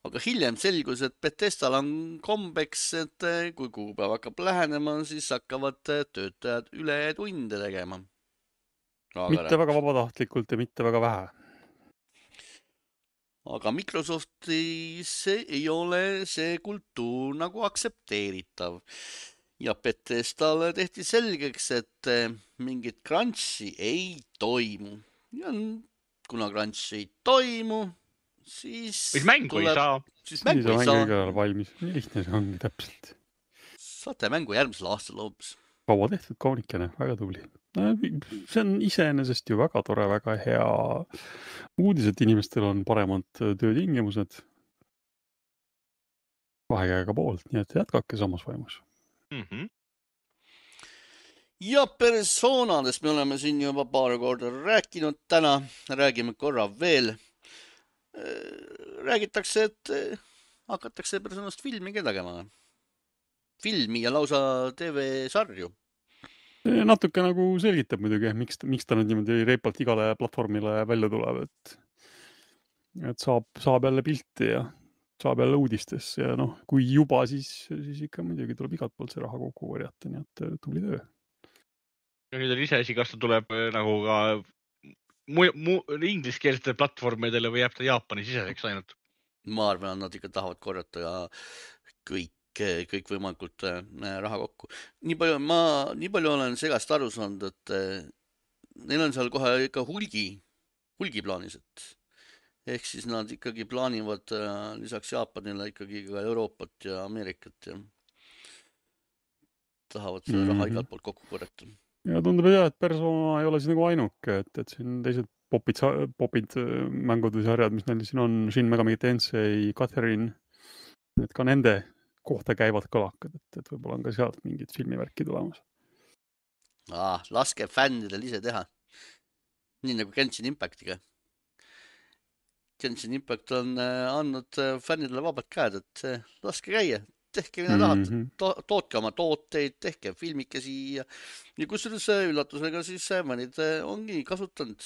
Aga hiljem selgus, et Bethesdal on kombeks, et kui kuupäev hakkab lähenema, siis hakkavad töötajad üle tunde tegema. Mitte väga vabatahtlikult ja mitte väga vähe. Aga Microsoftis ei ole see kultuur nagu aktsepteeritav. Ja Bethesdale tehti selgeks, et mingit crunchi ei toimu. Ja kuna crunchi ei toimu, siis... Mis mängu tuleb... ei saa. Siis mängu ei saa. Mängu ei valmis. Nii lihtne see ongi täpselt. Saate mängu järgmisel aastal loobus. Kaua tehtud kaunikene, väga tubli. See on iseenesest ju väga tore, väga hea uudis, et inimestel on paremad töötingimused vahekäega poolt, nii et jätkake samas vaimus. Mm-hmm. Ja personadest me oleme siin juba paar korda rääkinud täna, räägime korra veel. Räägitakse, et hakatakse personast filmi tegema. Filmi ja lausa T V-sarju. Natuke nagu selgitab muidugi, miks, miks ta nüüd niimoodi reipalt igale platvormile välja tuleb, et, et saab, saab jälle pilti ja saab jälle uudistes ja noh, kui juba, siis, siis ikka muidugi tuleb igalt poolt see raha kokku korjata, nii et tubli töö. Ja nüüd on ise asi, kas ta tuleb nagu ka mu, mu, ingliskeelsete platvormidele või jääb ta Jaapani siseseks ainult? Ma arvan, nad ikka tahavad korjata kõik. kõik võimalikult raha kokku. Nii palju, ma nii palju olen segast aru saanud, et neil on seal kohe ikka hulgi, hulgi plaanis, et ehk siis nad ikkagi plaanivad lisaks Jaapanile ikkagi ka Euroopat ja Ameerikat ja tahavad selle raha mm-hmm. igalt poolt kokku korjata. Ja tundub jah, et Persona ei ole siin nagu ainuke, et, et siin teised popid, popid mängud või sarjad, mis neil siin on, Shin Megami Tensei, Catherine, et ka nende kohta käivad kõlakad, et, et võib-olla on ka sealt mingid filmivärki tulemas. Ah, laske fännidel ise teha. Nii nagu Genshin Impactiga. Genshin Impact on andnud fännidele vabad käed, et laske käia. Tehke mida tahad, mm-hmm. to- tootke oma tooteid, tehke filmikesi ja, ja kusjuures üllatusega siis mõnid ongi kasutanud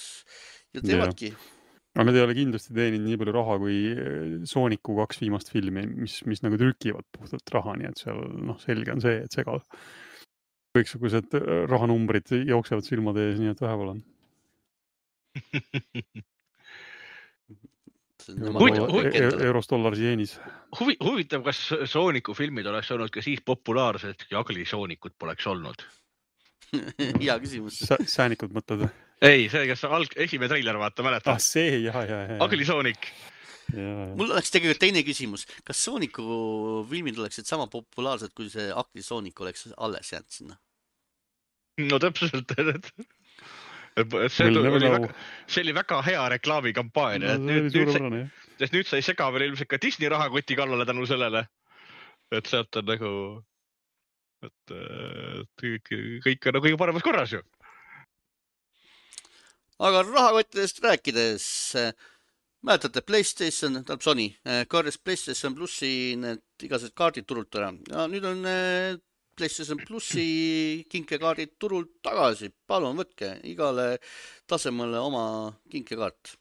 ja teevadki. Yeah. Aga need ei ole kindlasti teeninud nii palju raha kui Sooniku kaks viimast filmi, mis, mis nagu trükivad puhtalt raha, nii et seal noh, selge on see, et segal kõiksugused rahanumbrid jooksevad silmade ees, nii et väheval on. Euros, dollars, jeenis. Huvi, huvitav, kas Sooniku filmid oleks olnud ka siis populaarsed, kui Agli Soonikut poleks olnud? Hea küsimus. Säänikud mõtled? Ei, see, kes alg, esimene treiler vaata, mäletad? Ah, see, jah, jah, jah. Agli Soonik. Mul oleks tegelikult teine küsimus. Kas Sooniku filmid oleksid sama populaarsed, kui see Agli Soonik oleks alles jäänud sinna? No täpselt. see, oli väga, see oli väga hea reklaamikampaania. No, nüüd, nüüd, sest nüüd sai sega veel ilmselt ka Disney rahakoti kallale tänu sellele. Et sealt on nagu, et, et kõik on nagu kõige paremas korras ju. Aga rahakottidest rääkides, mäletate PlayStation, tähendab Sony, korjas PlayStation Plussi need igased kaardid turult ära. Ja nüüd on PlayStation Plussi kinkekaardid turult tagasi. Palun võtke igale tasemele oma kinkekaart.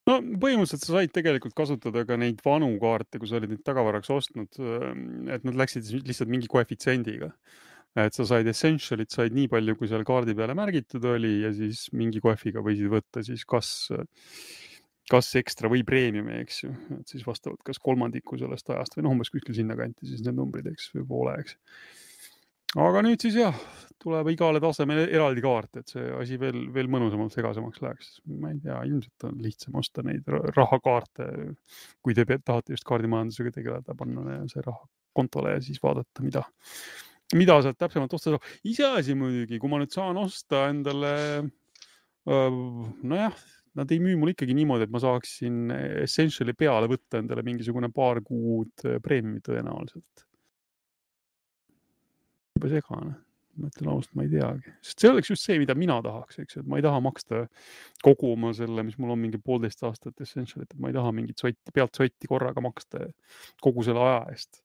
No põhimõtteliselt sa said tegelikult kasutada ka neid vanu kaarte, kui sa olid neid tagavaraks ostnud, et nad läksid lihtsalt mingi koefitsiendiga. Et sa said essentialit, said nii palju, kui seal kaardi peale märgitud oli ja siis mingi koefiga võisid võtta siis kas, kas ekstra või preemiumi, eks ju. Et siis vastavalt kas kolmandiku sellest ajast või noh, umbes kuskil sinna kanti siis need numbrid, eks, või poole, eks. Aga nüüd siis jah, tuleb igale tasemele eraldi kaart, et see asi veel, veel mõnusamalt segasemaks läheks. Ma ei tea, ilmselt on lihtsam osta neid rahakaarte, kui te tahate just kaardimajandusega tegeleda, panna see raha kontole ja siis vaadata, mida, mida saad täpsemalt osta. Ise asi muidugi, kui ma nüüd saan osta endale, nojah, nad ei müü mul ikkagi niimoodi, et ma saaksin Essentiali peale võtta endale mingisugune paar kuud preemiumi tõenäoliselt. Juba segane. Ma ütlen ausalt, ma ei teagi. Sest see oleks just see, mida mina tahaks, eks, et ma ei taha maksta kogu oma selle, mis mul on mingi poolteist aastat Essentialit, et ma ei taha mingit sotti, pealt sotti korraga maksta kogu selle aja eest.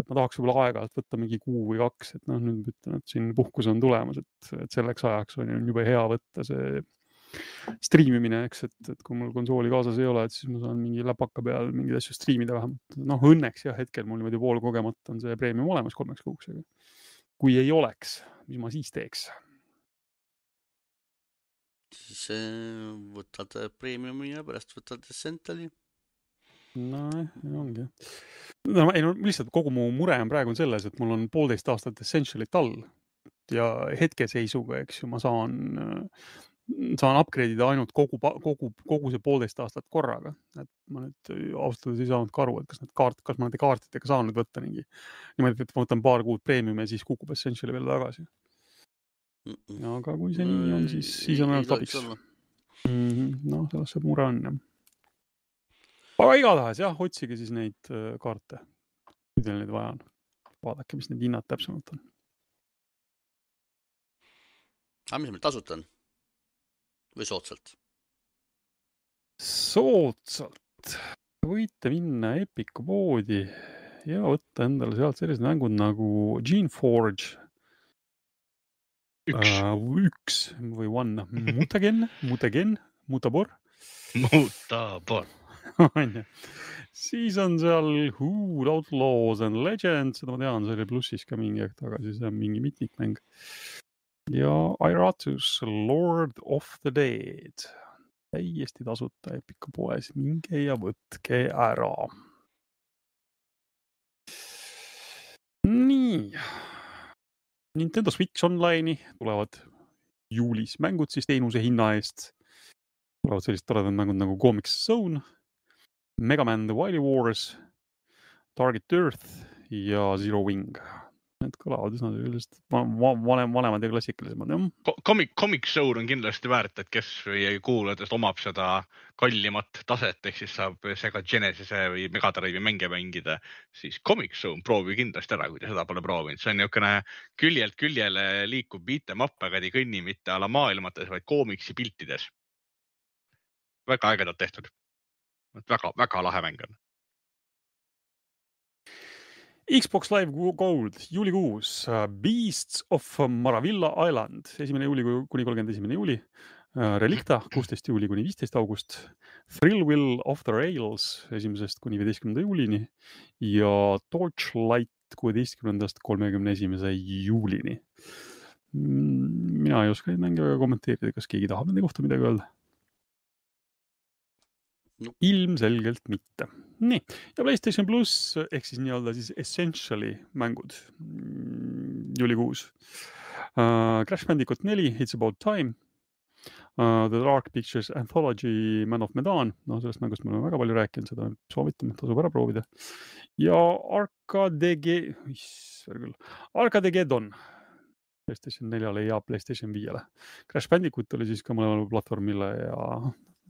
Ma tahaks võib-olla aega-alt võtta mingi kuu või kaks, et noh, nüüd ütlen, et siin puhkus on tulemas, et, et selleks ajaks on juba hea võtta see striimimine, eks, et, et kui mul konsooli kaasas ei ole, et siis ma saan mingi läpaka peal mingeid asju striimida vähemalt. Noh, õnneks jah, hetkel mul niimoodi pool kogemata on see preemium olemas kolmeks kuuks. Kui ei oleks, mis ma siis teeks? Siis võtad preemiumi ja pärast võtad Essentiali. No, ongi. No, ei, no, lihtsalt kogu mu mure on praegu selles, et mul on poolteist aastat Essentialit all ja hetkeseisuga, eks ju, ma saan, saan upgrade'ida ainult kogu, kogu, kogu see poolteist aastat korraga. Et ma nüüd austada ei saanud ka aru, et kas, need kaart, kas ma nende kaartidega saan nüüd võtta mingi. Niimoodi, et ma võtan paar kuud preemiumi ja siis kukub Essentiali veel tagasi. Ja, aga kui see nii on, siis, siis on ainult abiks. No, selles see mure on, jah. Aga igatahes, jah, otsige siis neid kaarte, kui teil neid vaja on. Vaadake, mis need hinnad täpsemalt on. Aga mis meil tasut on? Või soodsalt? Soodsalt. Võite minna Epiku poodi ja võtta endale sealt sellised mängud nagu Geneforge. Üks. Uh, üks või one. Mutagen, Mutagen, Mutabor. Mutabor. Siis on seal Who, Outlaws and Legends, seda ma tean, see oli plussis ka mingi aeg tagasi, see on mingi mitmikmäng. Ja Iratus, Lord of the Dead. Täiesti tasuta Epiku poes, minge ja võtke ära. Nii. Nintendo Switch Online'i tulevad juulis mängud siis teenuse hinna eest. Tulevad sellised toredad mängud nagu Comics Zone, Mega Man The Wily Wars, Target Earth ja Zero Wing. Need kõlavad üsna sellised vanem, vanemad ja klassikalisemad. Comic, Comic Zone on kindlasti väärt, et kes või kuulajatest omab seda kallimat taset, ehk siis saab sega Genesise või Megadrive'i mänge mängida, siis Comic Zone proovi kindlasti ära, kui te seda pole proovinud. See on niisugune küljelt küljele liikub beat'em up, aga ei kõnni mitte ala maailmates, vaid koomiksi piltides. Väga ägedalt tehtud. Väga, väga lahe mäng on. Xbox Live Gold, juulikuus, Beasts of Maravilla Island, esimene juuli kuni kolmkümmend esimene juuli, Relicta, kuusteist juuli kuni viisteist august, Thrillwheel of the Rails, esimesest kuni viieteistkümnenda juulini ja Torchlight kuueteistkümnendast kolmekümne esimese juulini. Mina ei oska neid mänge väga kommenteerida, kas keegi tahab nende kohta midagi öelda? No. Ilmselgelt mitte. Nii, ja PlayStation Plus, ehk siis nii-öelda siis Essentiali mängud juulikuus. Uh, Crash Bandicoot neli, It's About Time, uh, The Dark Pictures Anthology, Man of Medan, no sellest mängust me oleme väga palju rääkinud, seda soovitame, tasub ära proovida. Ja Arcade, Arcadegeddon, PlayStation neljale ja PlayStation viiele. Crash Bandicoot oli siis ka mõlemale platvormile ja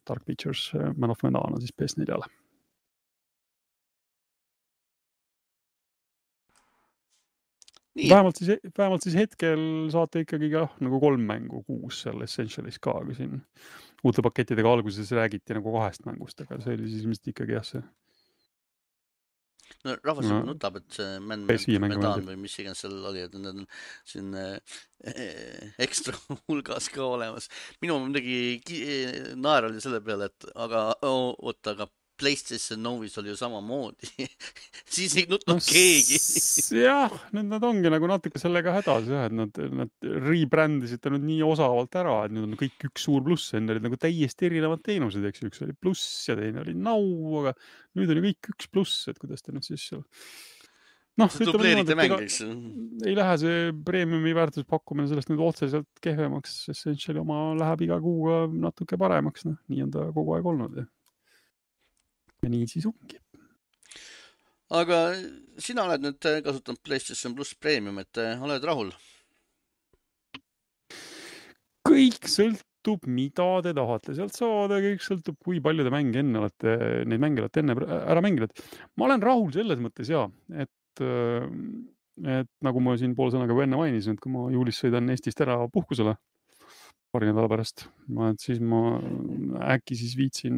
Dark Pictures Man of Medan siis P S neljale. Nii. Vähemalt siis, vähemalt siis hetkel saate ikkagi ka nagu kolm mängu kuus seal Essentialis ka, kui siin uute pakettidega alguses räägiti nagu kahest mängust, aga see oli siis ilmselt ikkagi jah see. No rahvas no, nutab, et see Man Medan või mis iganes seal oli, et need on siin äh, ekstra hulgas ka olemas. Minu midagi naer oli selle peale, et aga oota, aga PlayStation Novis oli ju samamoodi. Siis ei nutnud no, keegi. Jah, nüüd nad ongi nagu natuke sellega hädas, jah, et nad, nad rebrändisid nüüd nii osavalt ära, et nüüd on kõik üks suur pluss, enne olid nagu täiesti erinevad teenused, eks üks oli pluss ja teine oli nau, aga nüüd on ju kõik üks pluss, et kuidas te nüüd siis seal... No, see dubleerite mängiks. Ei lähe see premiumi väärtuspakkumine sellest nüüd otseselt kehvemaks, Essentiali oma läheb iga kuuga natuke paremaks, noh, nii on ta kogu aeg olnud, jah. Ja nii siis ongi. Aga sina oled nüüd kasutanud PlayStation Plus Premium, et oled rahul? Kõik sõltub, mida te tahate sealt saada, kõik sõltub, kui palju te mänge enne olete, neid mänge olete enne ära mänginud. Ma olen rahul selles mõttes, jaa, et, et nagu ma siin pool sõnaga enne mainisin, et kui ma juulis sõidan Eestist ära puhkusele, paari nädala pärast, ma, et siis ma äkki siis viitsin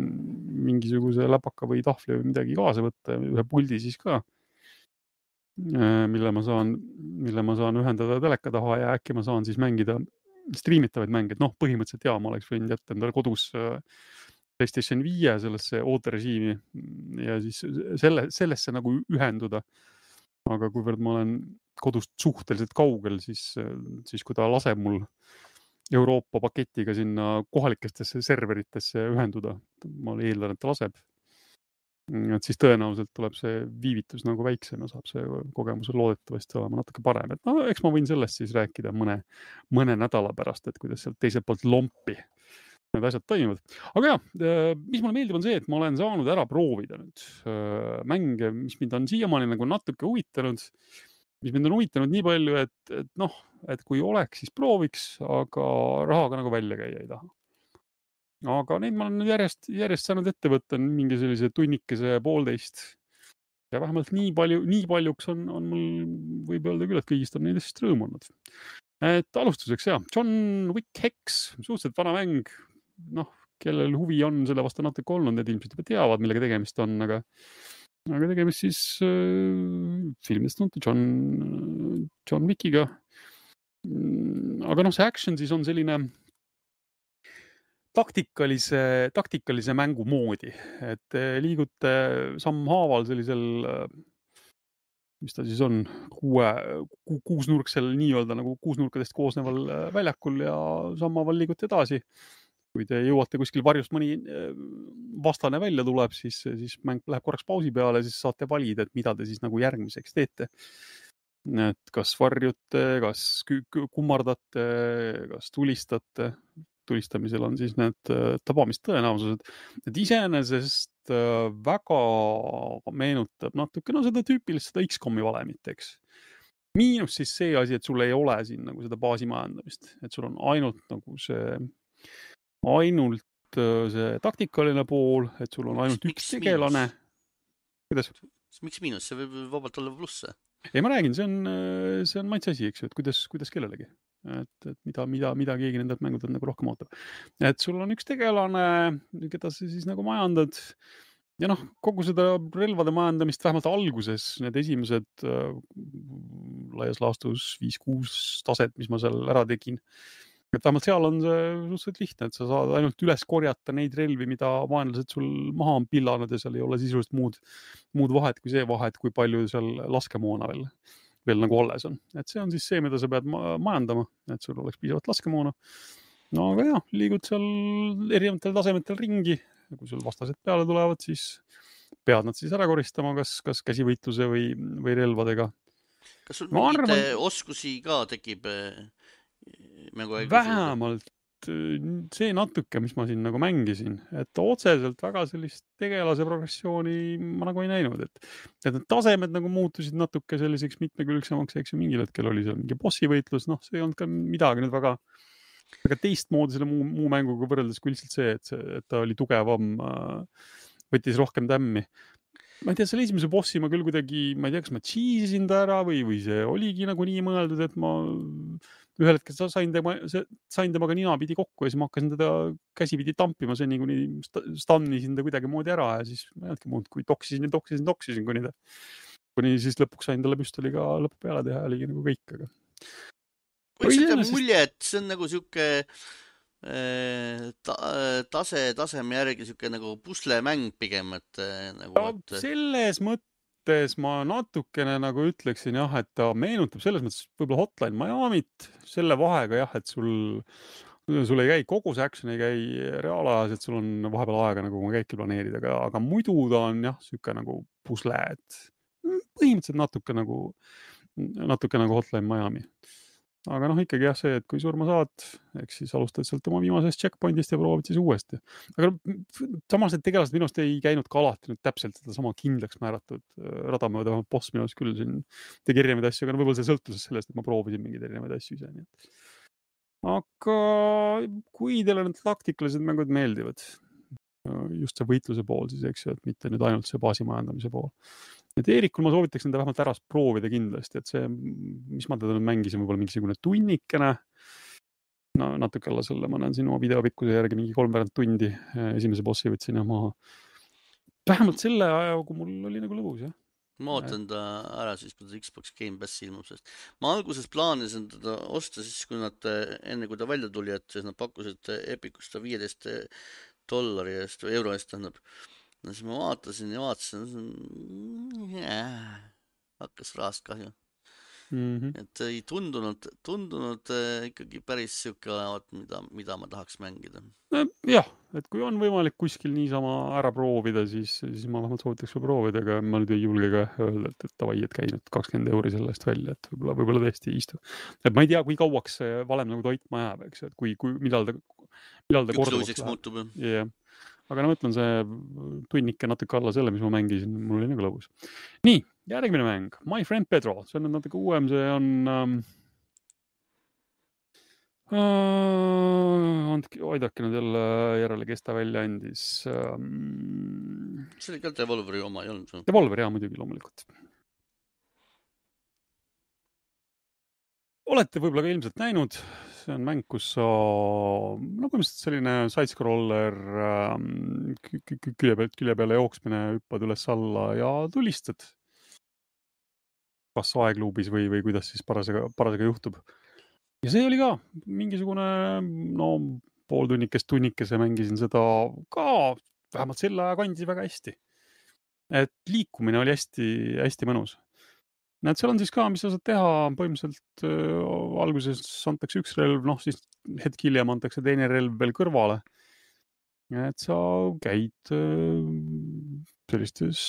mingisuguse läpaka või tahvli või midagi kaasa võtta, ühe puldi siis ka, mille ma saan, mille ma saan ühendada teleka taha ja äkki ma saan siis mängida striimitavaid mänge. Noh, põhimõtteliselt jaa, ma oleks võinud jätta endale kodus PlayStation viie sellesse ooterežiimi ja siis selle, sellesse nagu ühenduda. Aga kuivõrd ma olen kodust suhteliselt kaugel, siis, siis kui ta laseb mul Euroopa paketiga sinna kohalikestesse serveritesse ühenduda. Ma eeldan, et ta laseb. Et siis tõenäoliselt tuleb see viivitus nagu väiksem ja saab see kogemus loodetavasti olema natuke parem. Et no, eks ma võin sellest siis rääkida mõne, mõne nädala pärast, et kuidas sealt teiselt poolt lompi need asjad toimivad. Aga jah, mis mulle meeldib on see, et ma olen saanud ära proovida nüüd mänge, mis mind on siiamaani nagu natuke huvitanud, mis mind on huvitanud nii palju, et, et noh, et kui oleks, siis prooviks, aga rahaga nagu välja käia ei taha. Aga neid ma olen järjest, järjest saanud ette võtta mingi sellise tunnikese poolteist. Ja vähemalt nii palju, nii paljuks on, on mul, võib öelda küll, et kõigist on neidest rõõm olnud. Et alustuseks, jah, John Wick Hex, suhteliselt vana mäng, noh, kellel huvi on selle vastu natuke olnud, need ilmselt juba teavad, millega tegemist on, aga aga tegemist siis äh, filmidest tuntud John, John Wickiga. Aga noh, see action siis on selline taktikalise, taktikalise mängu moodi, et liigute sammhaaval sellisel, mis ta siis on, kuue, ku, kuusnurksel nii-öelda nagu kuusnurkadest koosneval väljakul ja sammhaaval liigute edasi. Kui te jõuate kuskil varjust mõni vastane välja tuleb, siis, siis mäng läheb korraks pausi peale, siis saate valida, et mida te siis nagu järgmiseks teete. Et kas varjute, kas kummardate, kas tulistate. Tulistamisel on siis need tabamistõenäosused. Et iseenesest väga meenutab natuke, no seda tüüpilist seda X COM-i valemit, eks. Miinus siis see asi, et sul ei ole siin nagu seda baasimajandamist. Et sul on ainult nagu see ainult see taktikaline pool, et sul on ainult miks, üks tegelane. Kuidas? Miks miinus? See võib vabalt olla plusse. Ei, ma räägin, see on, see on maitse asi, eks ju, et kuidas, kuidas kellelegi. Et, et mida, mida, mida keegi nendelt mängudelt nagu rohkem ootab. Et sul on üks tegelane, keda sa siis nagu majandad. Ja noh, kogu seda relvade majandamist vähemalt alguses, need esimesed äh, laias laastus viis kuus taset, mis ma seal ära tegin. Et vähemalt seal on see suhteliselt lihtne, et sa saad ainult üles korjata neid relvi, mida vaenlased sul maha on pillanud ja seal ei ole sisuliselt muud, muud vahet kui see vahet, kui palju seal laskemoona veel, veel nagu alles on. Et see on siis see, mida sa pead majandama, et sul oleks piisavalt laskemoona. No aga jah, liigud seal erinevatel tasemetel ringi ja kui sul vastased peale tulevad, siis pead nad siis ära koristama, kas, kas käsivõitluse või, või relvadega. Kas sul mingite arvan... oskusi ka tekib... Vähemalt, see natuke, mis ma siin nagu mängisin, et otseselt väga sellist tegelase progressiooni ma nagu ei näinud, et, et need tasemed nagu muutusid natuke selliseks mitmekülgsemaks, eks ju, mingil hetkel oli seal mingi bossi võitlus, noh, see ei olnud ka midagi nüüd väga, väga teistmoodi selle muu, muu mänguga võrreldes kui lihtsalt see, et, see, et ta oli tugevam, võttis rohkem tämmi. Ma ei tea, selle esimese bossi ma küll kuidagi, ma ei tea, kas ma cheesisin ta ära või, või see oligi nagu nii mõeldud, et ma ühel hetkel sain, tema, sain temaga nina pidi kokku ja siis ma hakkasin teda käsipidi tampima, see nii kuni stannisin ta kuidagi moodi ära ja siis ma ei olnudki muud, kui toksisin ja toksisin, toksisin kuni ta. Kuni siis lõpuks sain talle püstoliga lõpu peale teha ja oligi nagu kõik. Aga... Või see on mulje, et see on nagu siuke ta, tase, taseme järgi siuke nagu puslemäng pigem, et nagu... Ja, et... Selles mõttes ma natukene nagu ütleksin jah, et ta meenutab selles mõttes võib-olla Hotline Miamit selle vahega jah, et sul, sul ei käi kogu see action, ei käi reaalajas, et sul on vahepeal aega nagu käiki planeerida, aga, aga muidu ta on jah, siuke nagu pusle, et põhimõtteliselt natuke nagu, natuke nagu Hotline Miami. Aga noh, ikkagi jah see, et kui surma saad, eks siis alustad sealt oma viimasest checkpointist ja proovid siis uuesti. Aga samas need tegelased minust ei käinud ka alati nüüd täpselt seda sama kindlaks määratud radamööda, vähemalt boss minust küll siin tegi erinevaid asju, aga võib-olla see sõltus sellest, et ma proovisin mingeid erinevaid asju ise. Nii. Aga kui teile need taktikalised mängud meeldivad, just see võitluse pool siis, eks ju, et mitte nüüd ainult see baasi majandamise pool. Et Eerikul ma soovitaks enda vähemalt ära proovida kindlasti, et see, mis ma teda nüüd mängisin, võib-olla mingisugune tunnikene, no natuke alla selle, ma näen siin oma videopikkuse järgi mingi kolmveerand tundi esimese bossi võtsin ja ma vähemalt selle aja, kui mul oli nagu lõbus, jah. Ma ootan ta ära siis, kui ta Xbox Game Pass ilmub, sest ma alguses plaanisin teda osta siis, kui nad, enne kui ta välja tuli, et siis nad pakkusid Epicust viieteist dollari eest või euro eest tähendab. No siis ma vaatasin ja vaatasin, yeah, hakkas rahast kahju. Mm-hmm. Et ei tundunud, tundunud äh, ikkagi päris siuke olevat, mida, mida ma tahaks mängida. Jah, et kui on võimalik kuskil niisama ära proovida, siis, siis ma vähemalt soovitaks või proovida, aga ma nüüd ei julge ka öelda, et, et tavai, et käi nüüd kakskümmend euri sellest välja, et võib-olla, võib-olla tõesti ei istu. Et ma ei tea, kui kauaks see valem nagu toitma jääb, eks, et kui, kui millal ta, millal ta korduvaks läheb. Muutub, jah. Aga no mõtlen see tunnike natuke alla selle, mis ma mängisin, mul oli nagu lõbus. Nii, järgmine mäng, My Friend Pedro, see on natuke uuem, see on um, uh, andki, oidake nüüd jälle järele, kes ta välja andis. Um, see oli ka Devolveri oma, ei olnud see? Devolveri, jah, muidugi loomulikult. Olete võib-olla ka ilmselt näinud, see on mäng, kus sa, no põhimõtteliselt selline side-scroller ähm, külje pealt külje peale jooksmine, hüppad üles alla ja tulistad. Kas aegluubis või, või kuidas siis parasega, parasega juhtub. Ja see oli ka mingisugune, no pooltunnikest tunnikese mängisin seda ka vähemalt selle aja kandis väga hästi. Et liikumine oli hästi, hästi mõnus. Näed, seal on siis ka, mis sa saad teha, põhimõtteliselt äh, alguses antakse üks relv, noh siis hetk hiljem antakse teine relv veel kõrvale. Et sa käid äh, sellistes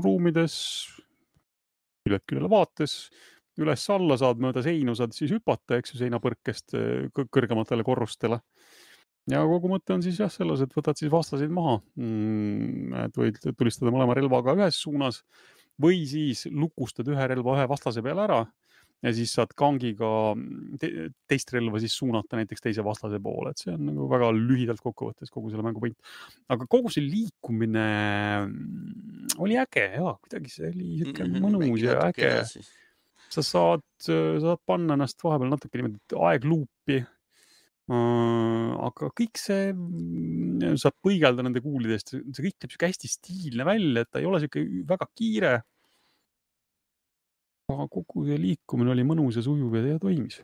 ruumides, küljed küljele vaates, üles alla saad mööda seinu, saad siis hüpata, eks ju, seinapõrkest kõrgematele korrustele. Ja kogu mõte on siis jah selles, et võtad siis vastaseid maha, et võid tulistada mõlema relvaga ühes suunas, või siis lukustad ühe relva ühe vastase peale ära ja siis saad kangiga te teist relva siis suunata näiteks teise vastase poole, et see on nagu väga lühidalt kokkuvõttes kogu selle mängu point. Aga kogu see liikumine oli äge, jaa, kuidagi see oli mm-hmm, mõnus ja äge. Sa saad, saad panna ennast vahepeal natuke niimoodi aegluupi, aga kõik see, saab põigelda nende kuulidest, see kõik teeb hästi stiilne välja, et ta ei ole siuke väga kiire. Aga kogu see liikumine oli mõnus ja sujuv ja toimis.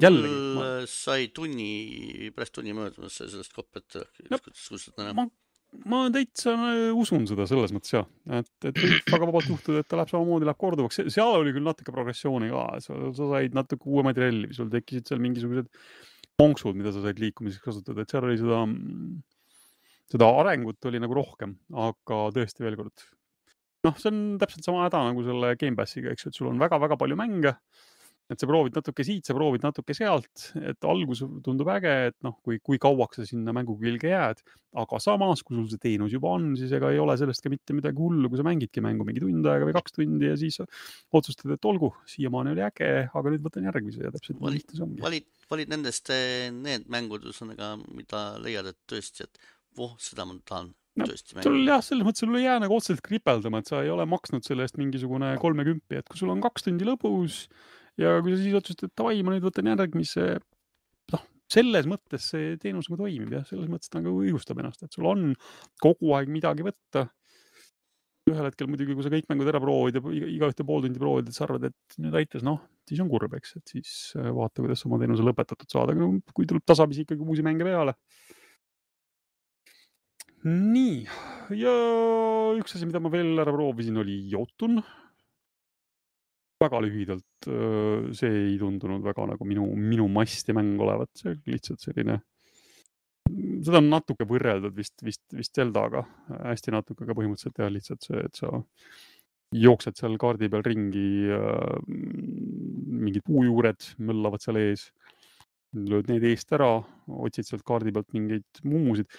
Jällegi. Ma... sai tunni, pärast tunni möödumas sellest koppet. No, ma, ma täitsa usun seda selles mõttes, jah. Et, et väga vabalt juhtud, et ta läheb samamoodi, läheb korduvaks. Seal oli küll natuke progressiooni ka. Sa, sa said natuke uuemaid relvi, sul tekkisid seal mingisugused ponksud, mida sa said liikumiseks kasutada, et seal oli seda, seda arengut oli nagu rohkem, aga tõesti veel kord. Noh, see on täpselt sama häda nagu selle Game Passiga, eks, et sul on väga-väga palju mänge, et sa proovid natuke siit, sa proovid natuke sealt, et algus tundub äge, et noh, kui, kui kauaks sa sinna mängu külge jääd, aga samas, kui sul see teenus juba on, siis ega ei ole sellest ka mitte midagi hullu, kui sa mängidki mängu mingi tund aega või kaks tundi ja siis otsustad, et olgu, siiamaani oli äge, aga nüüd võtan järgmise ja täpselt valid, lihtne see ongi. Valid, valid nendest need mängud, mida leiad, et tõesti, et voh, seda ma tahan. No, sul, jah, selles mõttes sul ei jää nagu otseselt kripeldama, et sa ei ole maksnud selle eest mingisugune kolmekümpi, et kui sul on kaks tundi lõbus ja kui sa siis otsustad, et davai, ma nüüd võtan järgmise, noh, selles mõttes see teenus nagu toimib ja selles mõttes ta nagu õigustab ennast, et sul on kogu aeg midagi võtta. Ühel hetkel muidugi, kui sa kõik mängud ära proovid ja iga, iga ühte pool tundi proovid, et sa arvad, et nüüd aitas, noh, siis on kurb, eks, et siis vaata, kuidas oma teenuse lõpetatud saada, kui tuleb tasapisi ikkagi uusi mänge peale. Nii, ja üks asi, mida ma veel ära proovisin, oli Jotun. Väga lühidalt, see ei tundunud väga nagu minu, minu masti mäng olevat, see lihtsalt selline, seda on natuke võrreldud vist, vist, vist Zeldaga, hästi natuke, aga põhimõtteliselt jah, lihtsalt see, et sa jooksed seal kaardi peal ringi, mingid puujuured möllavad seal ees, lööd need eest ära, otsid sealt kaardi pealt mingeid mumusid.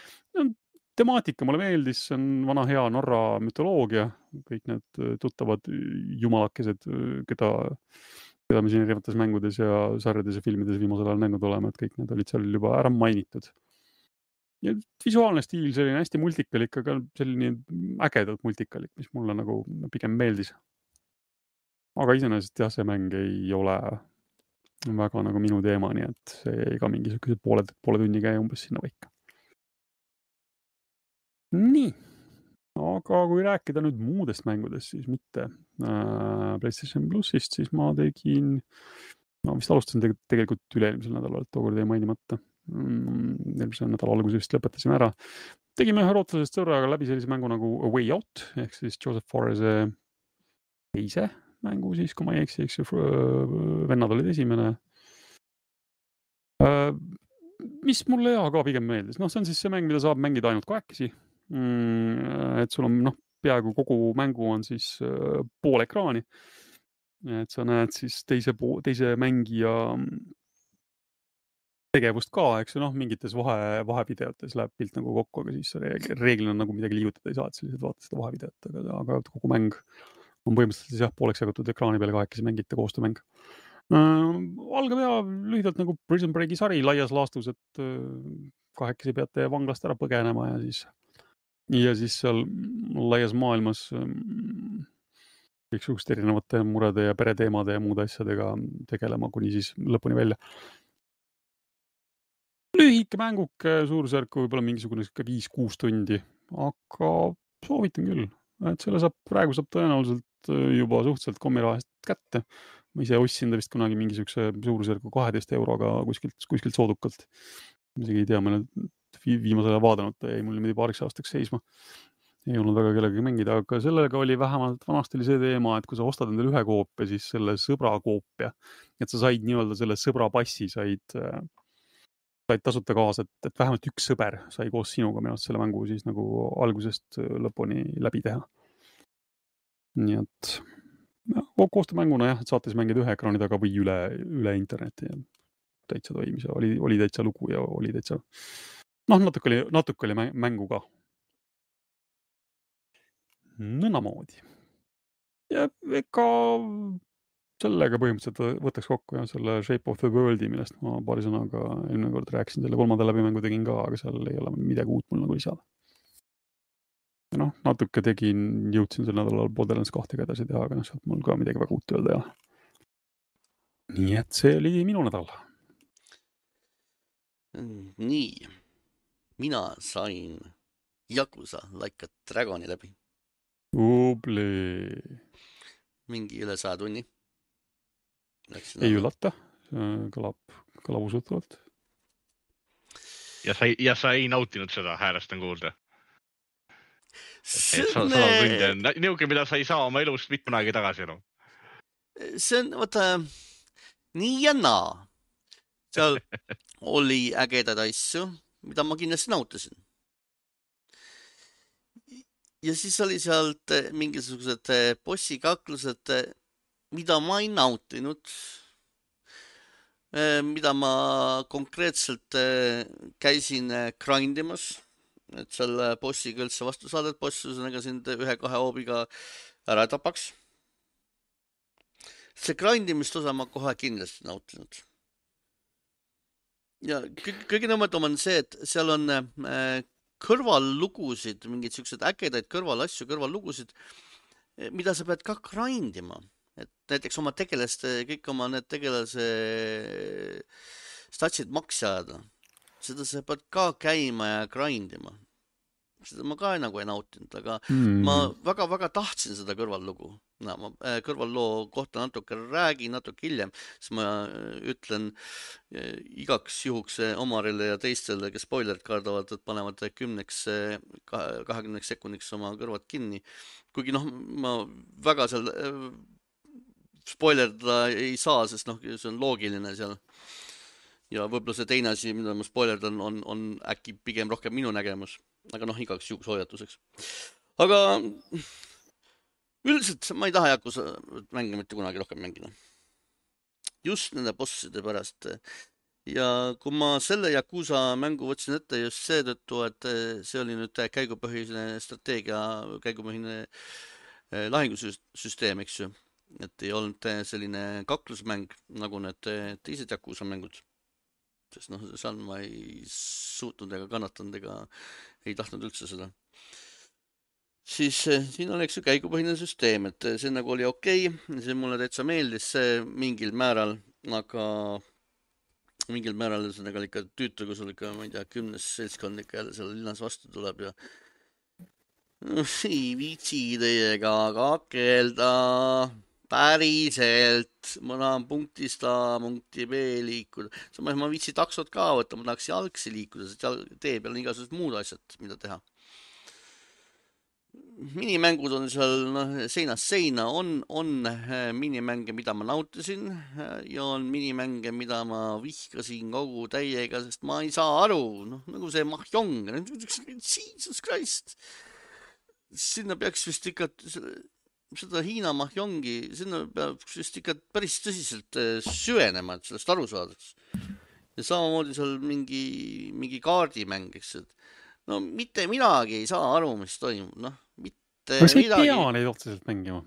Temaatika mulle meeldis, see on vana hea Norra mütoloogia, kõik need tuttavad jumalakesed, keda, keda me siin erinevates mängudes ja sarjades ja filmides viimasel ajal näinud oleme, et kõik need olid seal juba ära mainitud. Ja visuaalne stiil, selline hästi multikalik, aga selline ägedalt multikalik, mis mulle nagu pigem meeldis. Aga iseenesest jah, see mäng ei ole väga nagu minu teema, nii et see jäi ka mingisuguse poole, poole tunni käi umbes sinna võika. Nii, aga kui rääkida nüüd muudest mängudest, siis mitte äh, PlayStation Plusist, siis ma tegin, ma vist alustasin tegelikult üle-eelmisel nädalal, tookord jäi mainimata. Eelmisel nädala alguses vist lõpetasime ära. Tegime ühe rootlasest sõbraga läbi sellise mängu nagu A Way Out, ehk siis Joseph Fares'e teise mängu siis, kui ma ei eksi, eks ju, vennad olid esimene. Äh, mis mulle ja ka pigem meeldis, noh, see on siis see mäng, mida saab mängida ainult kahekesi. Mm, et sul on, noh, peaaegu kogu mängu on siis äh, pool ekraani. Et sa näed siis teise, teise mängija tegevust ka, eks ju, noh, mingites vahe, vahevideotes läheb pilt nagu kokku, aga siis reeglina nagu midagi liigutada ei saa, et sellised vaatad seda vahevideot, aga, aga kogu mäng on põhimõtteliselt jah, pooleks jagatud ekraani peale kahekesi mängite koostöömäng. Äh, algab ja lühidalt nagu Prison Breaki sari laias laastus, et äh, kahekesi peate vanglast ära põgenema ja siis Ja siis seal laias maailmas kõiksugust erinevate murede ja pereteemade ja muude asjadega tegelema kuni siis lõpuni välja. Lühike mänguke, suurusjärku võib-olla mingisugune viis kuus tundi, aga soovitan küll, et selle saab, praegu saab tõenäoliselt juba suhteliselt kommirahast kätte. Ma ise ostsin ta vist kunagi mingisuguse suurusjärku kaheteist euroga kuskilt, kuskilt soodukalt. Isegi ei tea, ma viimasel ajal vaadanud, ta jäi mul niimoodi paariks aastaks seisma. Ei olnud väga kellegagi mängida, aga sellega oli vähemalt vanasti oli see teema, et kui sa ostad endale ühe koopia, siis selle sõbra koopia, et sa said nii-öelda selle sõbra passi, said, said tasuta kaasa, et, et vähemalt üks sõber sai koos sinuga minu arust selle mängu siis nagu algusest lõpuni läbi teha. Nii et koostöömänguna jah, et saate siis mängida ühe ekraani taga või üle, üle interneti ja täitsa toimis ja oli, oli täitsa lugu ja oli täitsa, noh, natuke oli, natuke oli mängu ka. Nõnamoodi. Ja ega sellega põhimõtteliselt võtaks kokku ja selle Shape of the Worldi, millest ma paari sõnaga eelmine kord rääkisin, selle kolmanda läbimängu tegin ka, aga seal ei ole midagi uut mul nagu lisada. Ja noh, natuke tegin, jõudsin sel nädalal Borderlands kahtega edasi teha, aga noh, sealt mul ka midagi väga uut öelda ei ole. Nii et see oli minu nädal. Nii, mina sain Yakuza Like a Dragoni läbi. Ubli. Mingi üle saja tunni. Läksin ei üllata, kõlab, kõlab usutavalt. Ja sa, ja sa ei nautinud seda, häälestan kuulda. See on me... niuke, mida sa ei saa oma elust mitme aegi tagasi enam. See on, vaata, nii ja naa. Seal oli ägedad asju, mida ma kindlasti nautisin. Ja siis oli sealt mingisugused bossikaklused, mida ma ei nautinud. mida ma konkreetselt käisin grindimas, et selle bossiga üldse vastu saada, et boss ühesõnaga sind ühe-kahe hoobiga ära tapaks. See grindimist osa ma kohe kindlasti nautinud. Ja kõige nõmmedam on see, et seal on kõrvallugusid, mingid siuksed ägedaid kõrvalasju, kõrvallugusid, mida sa pead ka grindima. Et näiteks oma tegelaste, kõik oma need tegelase statsid maksi ajada. Seda sa pead ka käima ja grindima. Seda ma ka nagu ei nautinud, aga mm. ma väga-väga tahtsin seda kõrvallugu. No, ma kõrvalloo kohta natuke räägin, natuke hiljem, siis ma ütlen igaks juhuks Omarile ja teistele, kes spoilerid kardavad, et panevad kümneks, kahekümneks sekundiks oma kõrvad kinni. Kuigi noh, ma väga seal spoilerdada ei saa, sest noh, see on loogiline seal. Ja võib-olla see teine asi, mida ma spoilerdan, on, on äkki pigem rohkem minu nägemus. Aga noh, igaks juhuks hoiatuseks. Aga üldiselt ma ei taha Yakuza mänge mitte kunagi rohkem mängida. Just nende bosside pärast. Ja kui ma selle Yakuza mängu võtsin ette just seetõttu, et see oli nüüd käigupõhine strateegia, käigupõhine lahingusüsteem, eks ju. Et ei olnud selline kaklusmäng, nagu need teised Yakuza mängud. Sest noh, seal ma ei suutnud ega kannatanud ega ei tahtnud üldse seda. Siis siin oleks ju käigupõhine süsteem, et see nagu oli okei, see mulle täitsa meeldis see mingil määral, aga mingil määral see nagu ikka tüütu, kui sul ikka, ma ei tea, kümnes seltskond ikka jälle seal linnas vastu tuleb ja ei viitsi teiega kakelda päriselt, ma tahan punktist A, punkti B liikuda. Samas ma viitsi taksot ka võtta, ma tahaks jalgsi liikuda, sest tee peal on igasugused muud asjad, mida teha. Minimängud on seal no, seinast seina, on, on minimänge, mida ma nautisin ja on minimänge, mida ma vihkasin kogu täiega, sest ma ei saa aru, noh, nagu see Mahjong, Jesus Christ. Sinna peaks vist ikka seda Hiina Mahjongi, sinna peaks vist ikka päris tõsiselt süvenema, et sellest aru saadaks. Ja samamoodi seal mingi, mingi kaardimäng, eks, et no mitte midagi ei saa aru, mis toimub, noh, mitte Kas midagi. Kas ei pea neid otseselt mängima?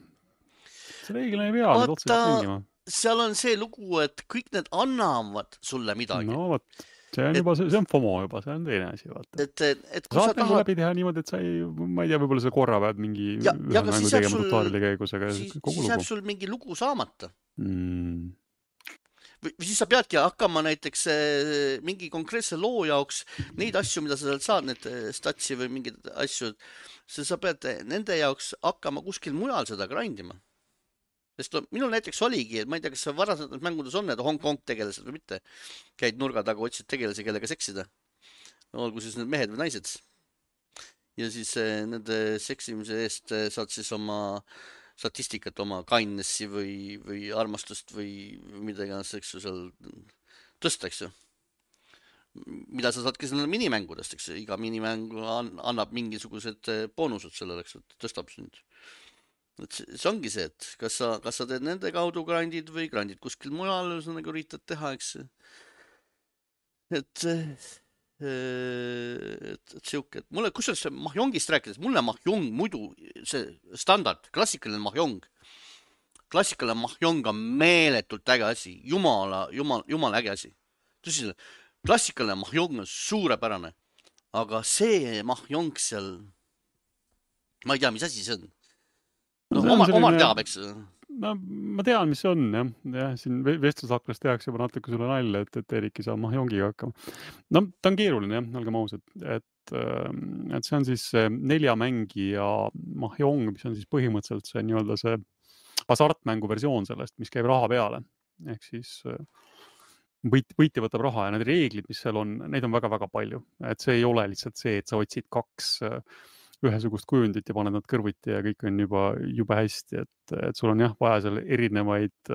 See reeglina ei pea neid otseselt mängima. Seal on see lugu, et kõik need annavad sulle midagi. No vot, see on, et, juba, see on FOMO juba, see on teine asi. Vaata. Et, et, et kui saad sa tahad... läbi teha niimoodi, et sa ei, ma ei tea, võib-olla sa korra pead mingi ja, ja mängu tegema sul, tutoriali käigus, aga siis, kogu siis lugu. jääb sul mingi lugu saamata. Mm. Või siis sa peadki hakkama näiteks mingi konkreetse loo jaoks neid asju, mida sa sealt saad, need statsi või mingid asju, sa pead nende jaoks hakkama kuskil mujal seda grindima. Sest no, minul näiteks oligi, et ma ei tea, kas see varasemalt mängudes on need Hong Kong tegelased või mitte. Käid nurga taga, otsid tegelasi, kellega seksida. Olgu siis need mehed või naised. Ja siis nende seksimise eest saad siis oma statistikat, oma kindnessi või, või armastust või midagi, eks ju, seal tõsta, eks ju. Mida sa saadki selle minimängudest, eks ju. Iga minimängu annab mingisugused boonused sellele, eks ju, tõstab sind. Et see ongi see, et kas sa, kas sa teed nende kaudu grindid või grindid kuskil mujal, sa nagu üritad teha, eks ju. Et... et, et siuke, et mulle, kus see Mahjongist rääkides, mulle Mahjong muidu, see standard, klassikaline Mahjong, klassikaline Mahjong on meeletult äge asi, jumala, jumala, jumala äge asi. Tõsi, klassikaline Mahjong on suurepärane, aga see Mahjong seal, ma ei tea, mis asi see on. No, no, Omar, Omar teab, eks. No, ma tean, mis see on, jah. jah siin vestlusaklas tehakse juba natuke sulle nalja, et, et Erik ei saa Mahjongiga hakkama. No, ta on keeruline, jah, olgem ausad. Et, et see on siis neljamängija Mahjong, mis on siis põhimõtteliselt see nii-öelda see hasartmängu versioon sellest, mis käib raha peale. Ehk siis võit, võitja võtab raha ja need reeglid, mis seal on, neid on väga-väga palju. Et see ei ole lihtsalt see, et sa otsid kaks ühesugust kujundit ja paned nad kõrvuti ja kõik on juba, juba hästi, et, et sul on jah vaja seal erinevaid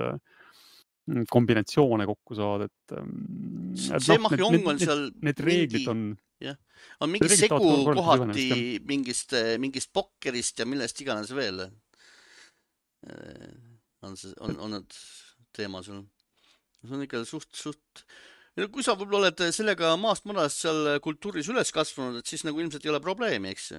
kombinatsioone kokku saada, et, et see noh, Mahjong need, on seal need reeglid on, jah, on mingi segu kohati mingist, mingist pokkerist ja millest iganes veel on, see, on, on need teema seal see on ikka suht, suht... Kui sa võib-olla oled sellega maast madalast seal kultuuris üles kasvanud, et siis nagu ilmselt ei ole probleemi, eks?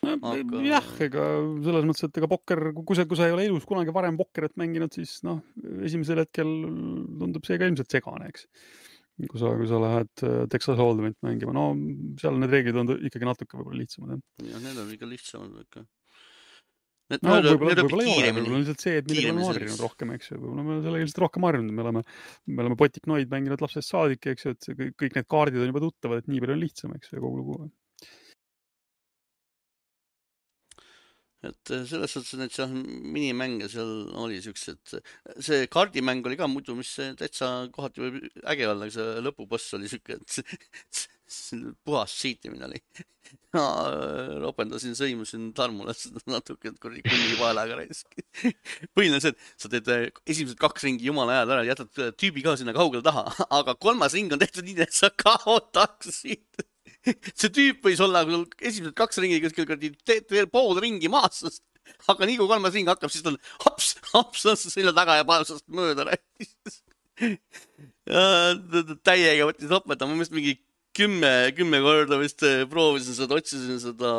Aga... Jah, ega selles mõttes, et ega pokker, kui sa, kui sa ei ole elus kunagi varem pokkerit mänginud, siis noh, esimesel hetkel tundub see ka ilmselt segane, eks. Kui sa, kui sa lähed Texas Hold'emit mängima, no seal need reeglid on ikkagi natuke võib-olla lihtsamad. Ja, ja need on ikka lihtsamad ikka. Need no, võib-olla, võib-olla ei ole, võib-olla lihtsalt see, et midagi oleme harjunud rohkem, eks ju. Võib-olla me selle ilmselt rohkem harjunud, me oleme, me oleme potiknoid mänginud lapsest saadik, eks ju, et see, kõik need kaardid on juba tuttavad, et nii palju on lihtsam, eks ju, kogu lugu. Et selles suhtes, et seal minimänge seal oli siuksed, see kaardimäng oli ka muidu, mis täitsa kohati võib äge olla, aga see lõpuboss oli siuke, et puhas siitimine oli. Ma ropendasin, sõimusin Tarmule natuke, et kurri kunni vaelaga raisk. Põhiline see, et sa teed esimesed kaks ringi jumala ajal ära, jätad tüübi ka sinna kaugele taha, aga kolmas ring on tehtud nii, et sa kaotaksid. See tüüp võis olla esimesed kaks ringi kuskil teed veel pool ringi maast, aga nii kui kolmas ring hakkab, siis ta on hops, hops, selja taga ja paevsast mööda rääkis. Täiega võttis opeta, ma mõist mingi kümme, kümme korda vist proovisin seda, otsisin seda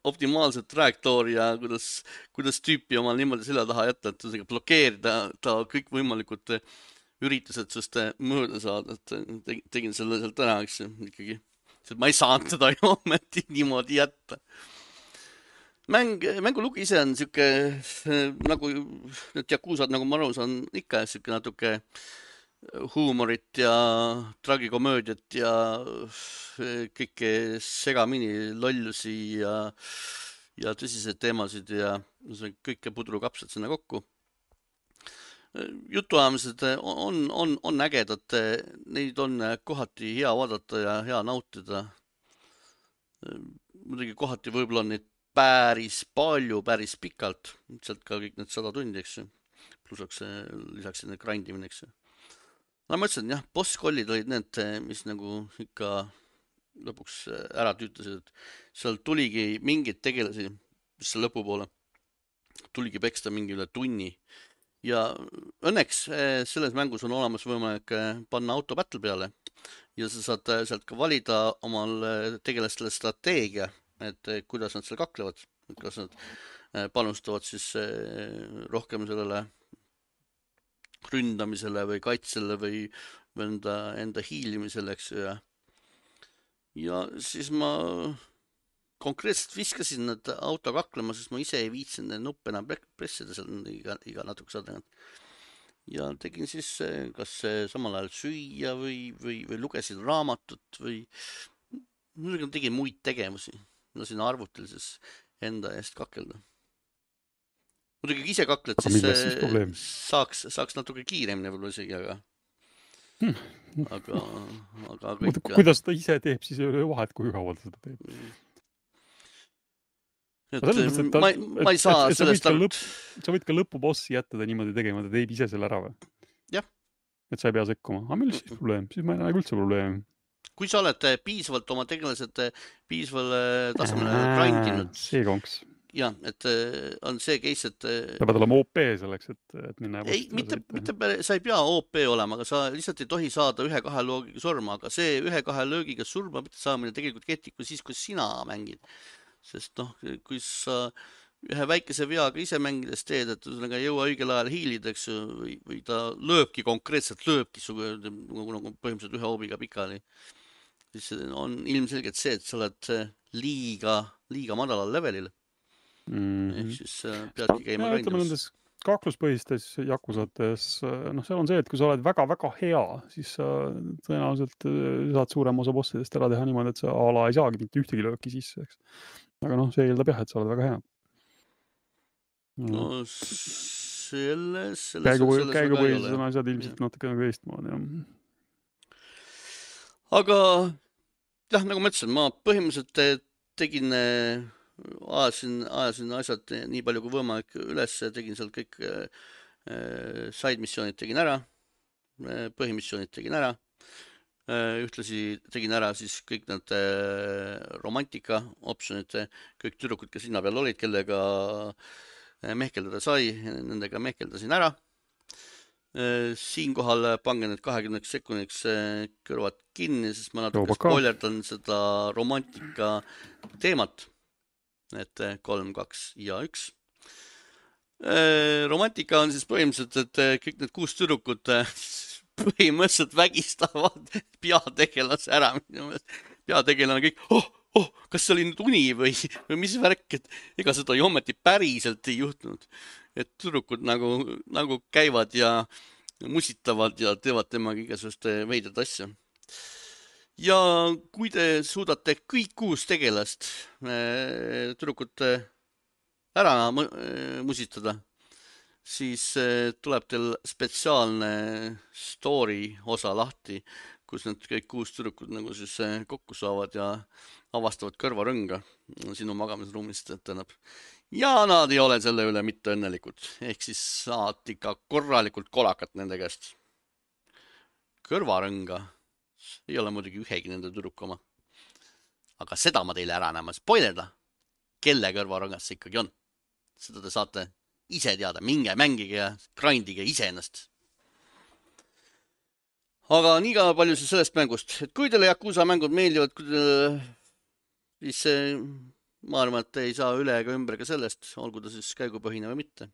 optimaalset trajektoori ja kuidas, kuidas tüüpi omal niimoodi selja taha jätta, et blokeerida ta kõik võimalikud üritused sest mööda saada, et tegin selle sealt ära, eks ikkagi. Ma ei saanud seda ju ometi niimoodi jätta. Mäng, mängulugu ise on siuke, nagu need jakuusad, nagu ma aru saan, ikka siuke natuke huumorit ja tragikomöödiat ja kõike segamini lollusi ja, ja tõsiseid teemasid ja kõike pudrukapsad sinna kokku. Jutuajamised on, on, on ägedad, neid on kohati hea vaadata ja hea nautida. Muidugi kohati võib-olla on neid päris palju, päris pikalt, sealt ka kõik need sada tundi, eks ju. Plusaks lisaks need grindimine, eks ju. No ma ütlesin, jah, boss-kollid olid need, mis nagu ikka lõpuks ära tüütasid, et seal tuligi mingid tegelasi, mis seal lõpupoole, tuligi peksta mingi üle tunni. Ja õnneks selles mängus on olemas võimalik panna auto battle peale ja sa saad sealt ka valida omal tegelastele strateegia, et kuidas nad seal kaklevad, kas nad panustavad siis rohkem sellele ründamisele või kaitsele või enda, enda hiilimisele, eks ja. Ja siis ma konkreetselt viskasin need auto kaklema, sest ma ise ei viitsin nuppe enam pressida seal iga, iga natuke saada. Ja tegin siis kas samal ajal süüa või, või, või lugesin raamatut või tegin muid tegemusi. Lasin arvutil siis enda eest kakelda. Muidugi kui ise kakled, siis, siis saaks, saaks natuke kiiremini võib-olla isegi, aga hmm. aga, aga kõik... Kuidas ta ise teeb, siis ei ole vahet, kui kaua ta seda teeb. Et, mõttes, et ta, ma, ma ei saa et, et sellest sa võid, lõpp, sa võid ka lõpubossi jätta ta niimoodi tegema, ta teeb ise selle ära või? Jah. Et sa ei pea sekkuma. Aga meil siis probleem? Siis ma ei näe üldse probleemi. Kui sa oled piisavalt oma tegelased piisavalt tasemele grindinud. See konks. Jah, et on see case, et... Ta pead olema O P selleks, et, et minna... Ei, mitte, mitte, sa ei pea O P olema, aga sa lihtsalt ei tohi saada ühe-kahe loogiga surma, aga see ühe-kahe löögiga surma mitte saamine tegelikult kehtib kui siis, kui sina mängid. Sest noh, kui sa ühe väikese veaga ise mängides teed, et ei jõua õigel ajal hiilida, eks, või, või ta lööbki konkreetselt, lööbki su, nagu põhimõtteliselt ühe hoobiga pikali, siis on ilmselgelt see, et sa oled liiga, liiga madalal levelil. Mm-hmm. Ehk siis peadki käima ja, ütleme nendes kakluspõhistes jakusates, noh, seal on see, et kui sa oled väga-väga hea, siis sa tõenäoliselt saad suurema osa bossidest ära teha niimoodi, et sa ala ei saagi mitte ühtegi lööki sisse, eks. Aga noh, see eeldab jah, et sa oled väga hea. No selles... selles käigu käigupõhises on asjad ilmselt natuke nagu eestmoodi, jah. Aga jah, nagu ma ütlesin, ma põhimõtteliselt tegin... Ajasin, ajasin asjad nii palju kui võimalik üles, tegin seal kõik side missioonid tegin ära, põhimissioonid tegin ära, ühtlasi tegin ära siis kõik need romantika optionid, kõik tüdrukud, kes linna peal olid, kellega mehkeldada sai, nendega mehkeldasin ära. Siinkohal pange need kahekümneks sekundiks kõrvad kinni, sest ma natuke spoilerdan seda romantika teemat. Et kolm, kaks ja üks. Romantika on siis põhimõtteliselt, et kõik need kuus tüdrukut põhimõtteliselt vägistavad peategelase ära. Peategelane kõik, oh, oh, kas see oli nüüd uni või, või mis värk, et ega seda ju ometi päriselt ei juhtunud. Et tüdrukud nagu, nagu käivad ja musitavad ja teevad temaga igasugust veidrat asja. Ja kui te suudate kõik kuus tegelast tüdrukut ära musitada, siis tuleb teil spetsiaalne story osa lahti, kus need kõik kuus tüdrukud nagu siis kokku saavad ja avastavad kõrvarõnga sinu magamisruumist, et tähendab. Ja nad ei ole selle üle mitte õnnelikud. Ehk siis saad ikka korralikult kolakat nende käest. Kõrvarõnga ei ole muidugi ühegi nende tüdruku oma. Aga seda ma teile ära näema spoilerda, kelle kõrvarõngas see ikkagi on. Seda te saate ise teada. Minge mängige ja grindige ise ennast. Aga nii ka palju siis sellest mängust. Et kui teile Yakuza mängud meeldivad, kui teile, siis ma arvan, et ei saa üle ega ümber ka sellest, olgu ta siis käigupõhine või mitte.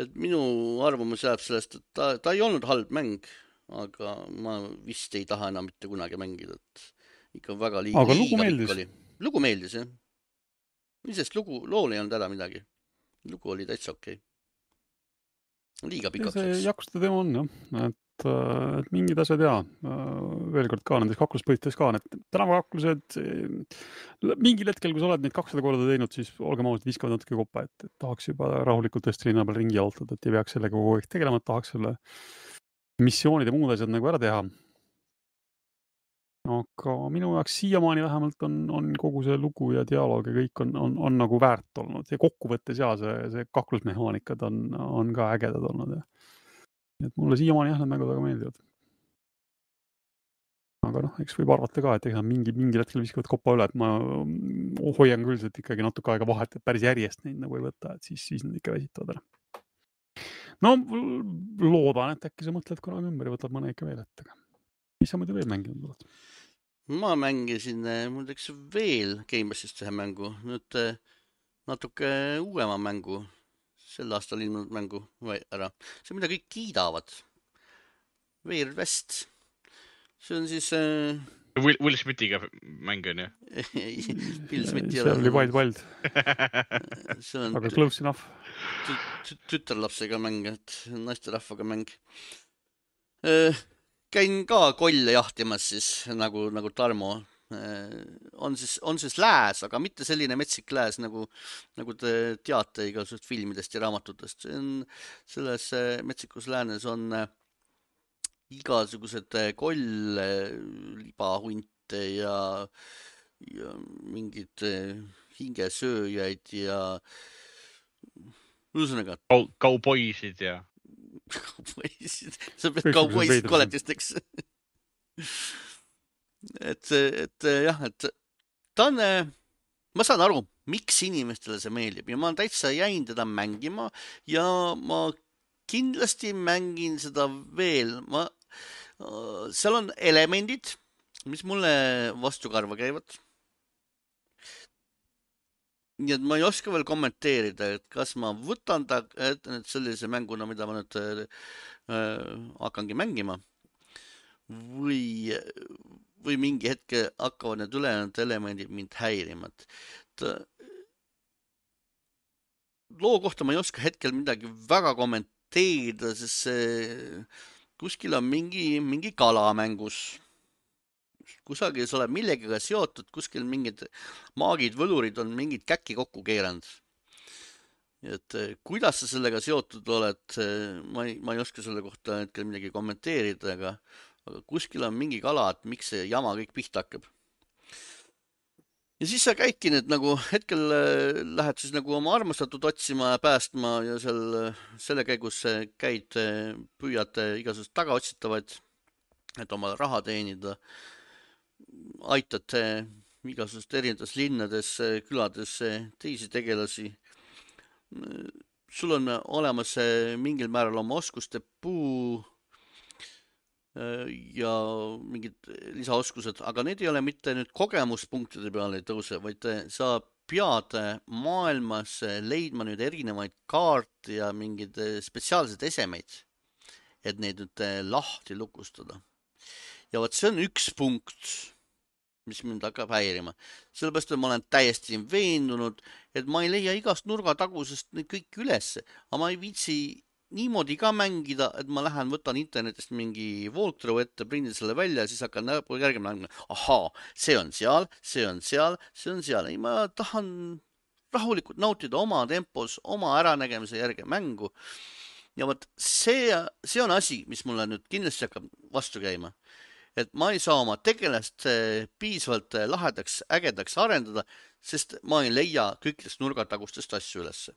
Et minu arvamus jääb sellest, et ta, ta ei olnud halb mäng, aga ma vist ei taha enam mitte kunagi mängida. Et ikka väga liiga, aga lugu meeldis. Oli. Lugu meeldis, jah. Isest lugu, lool ei olnud ära midagi. Lugu oli täitsa okei. Liiga pikaks. See Yakuza teema on, jah. Et et mingid asjad ja veel kord ka nendes kakluspõhites ka, need tänavakaklused mingil hetkel, kui sa oled neid kakssada korda teinud, siis olgem ausalt, viskavad natuke koppa, et, et tahaks juba rahulikult tõesti linna peal ringi jaltada, et ei peaks sellega kogu aeg tegelema, et tahaks selle missioonid ja muud asjad nagu ära teha. Aga minu jaoks siiamaani vähemalt on, on kogu see lugu ja dialoog ja kõik on, on, on nagu väärt olnud ja kokkuvõttes ja see, see kaklusmehaanikad on, on ka ägedad olnud ja et mulle siiamaani jah, need mängud väga meeldivad. Aga noh, eks võib arvata ka, et ega mingi, mingi hetkel viskavad koppa üle, et ma hoian küll, et ikkagi natuke aega vahet, et päris järjest neid nagu ei võta, et siis, siis need ikka väsitavad ära. No loodan, et äkki sa mõtled korraga ümber ja võtad mõne ikka veel ette. Mis sa muidu veel mänginud oled? Ma mängisin muideks veel Gamersist ühe mängu, nüüd natuke uuema mängu. Sel aastal ilmunud mängu ära. See, mida kõik kiidavad. Weird West. See on siis... Äh... Will, Will Smithiga mäng on, jah? Will Smithi see oli Wild Wild. Aga close enough. Tütarlapsega mäng, et naisterahvaga mäng. Äh, käin ka kolle jahtimas siis, nagu, nagu Tarmo. On siis, on siis lääs, aga mitte selline metsik lääs, nagu, nagu te teate igasugust filmidest ja raamatutest. See on, selles metsikus läänes on igasugused kolle, libahunte ja, ja mingid hingesööjaid ja ühesõnaga. Kauboisid ja. Kauboisid. Sa pead kauboisid koletisteks. Et, et jah, et ta on, ma saan aru, miks inimestele see meeldib ja ma täitsa jäin teda mängima ja ma kindlasti mängin seda veel. Ma, seal on elemendid, mis mulle vastukarva käivad. Nii et ma ei oska veel kommenteerida, et kas ma võtan ta et sellise mänguna, mida ma nüüd äh, hakkangi mängima või või mingi hetke hakkavad need ülejäänud elemendid mind häirima. Loo kohta ma ei oska hetkel midagi väga kommenteerida, sest see kuskil on mingi, mingi kala mängus. Kusagil sa oled millegiga seotud, kuskil mingid maagid, võlurid on mingid käkki kokku keeranud. Et kuidas sa sellega seotud oled, ma ei, ma ei oska selle kohta hetkel midagi kommenteerida, aga aga kuskil on mingi kala, et miks see jama kõik pihta hakkab. Ja siis sa käidki need nagu, hetkel lähed siis nagu oma armastatud otsima ja päästma ja seal, selle käigus käid, püüad igasugust tagaotsitavaid, et oma raha teenida, aitad igasugust erinevates linnades, külades teisi tegelasi. sul on olemas mingil määral oma oskuste puu ja mingid lisaoskused, aga need ei ole mitte nüüd kogemuspunktide peale ei tõuse, vaid sa pead maailmas leidma nüüd erinevaid kaarte ja mingeid spetsiaalseid esemeid, et neid nüüd lahti lukustada. Ja võt see on üks punkt, mis mind hakkab häirima. Sellepärast, et ma olen täiesti veendunud, et ma ei leia igast nurgatagusest neid kõik üles, aga ma ei viitsi niimoodi ka mängida, et ma lähen, võtan internetist mingi walkthrough ette, prindin selle välja ja siis hakkan järgmine mängima. Ahaa, see on seal, see on seal, see on seal. Ei, ma tahan rahulikult nautida oma tempos, oma äranägemise järgi mängu. Ja võt, see, see on asi, mis mulle nüüd kindlasti hakkab vastu käima. Et ma ei saa oma tegelast piisavalt lahedaks, ägedaks arendada, sest ma ei leia kõikidest nurgatagustest asju ülesse.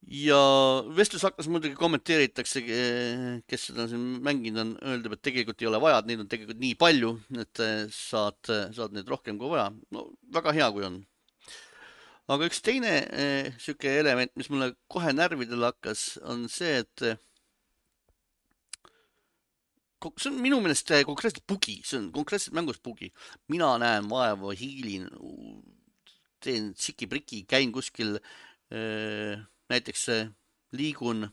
Ja vestlus hakkas muidugi kommenteeritakse, kes seda siin mänginud on, öeldab, et tegelikult ei ole vaja, neid on tegelikult nii palju, et saad, saad neid rohkem kui vaja. No, väga hea, kui on. Aga üks teine eh, süke element, mis mulle kohe närvidel hakkas, on see, et see on minu meelest konkreetselt bugi, see on konkreetselt mängus bugi. Mina näen vaeva, hiilin, teen siki-priki, käin kuskil eh, näiteks liigun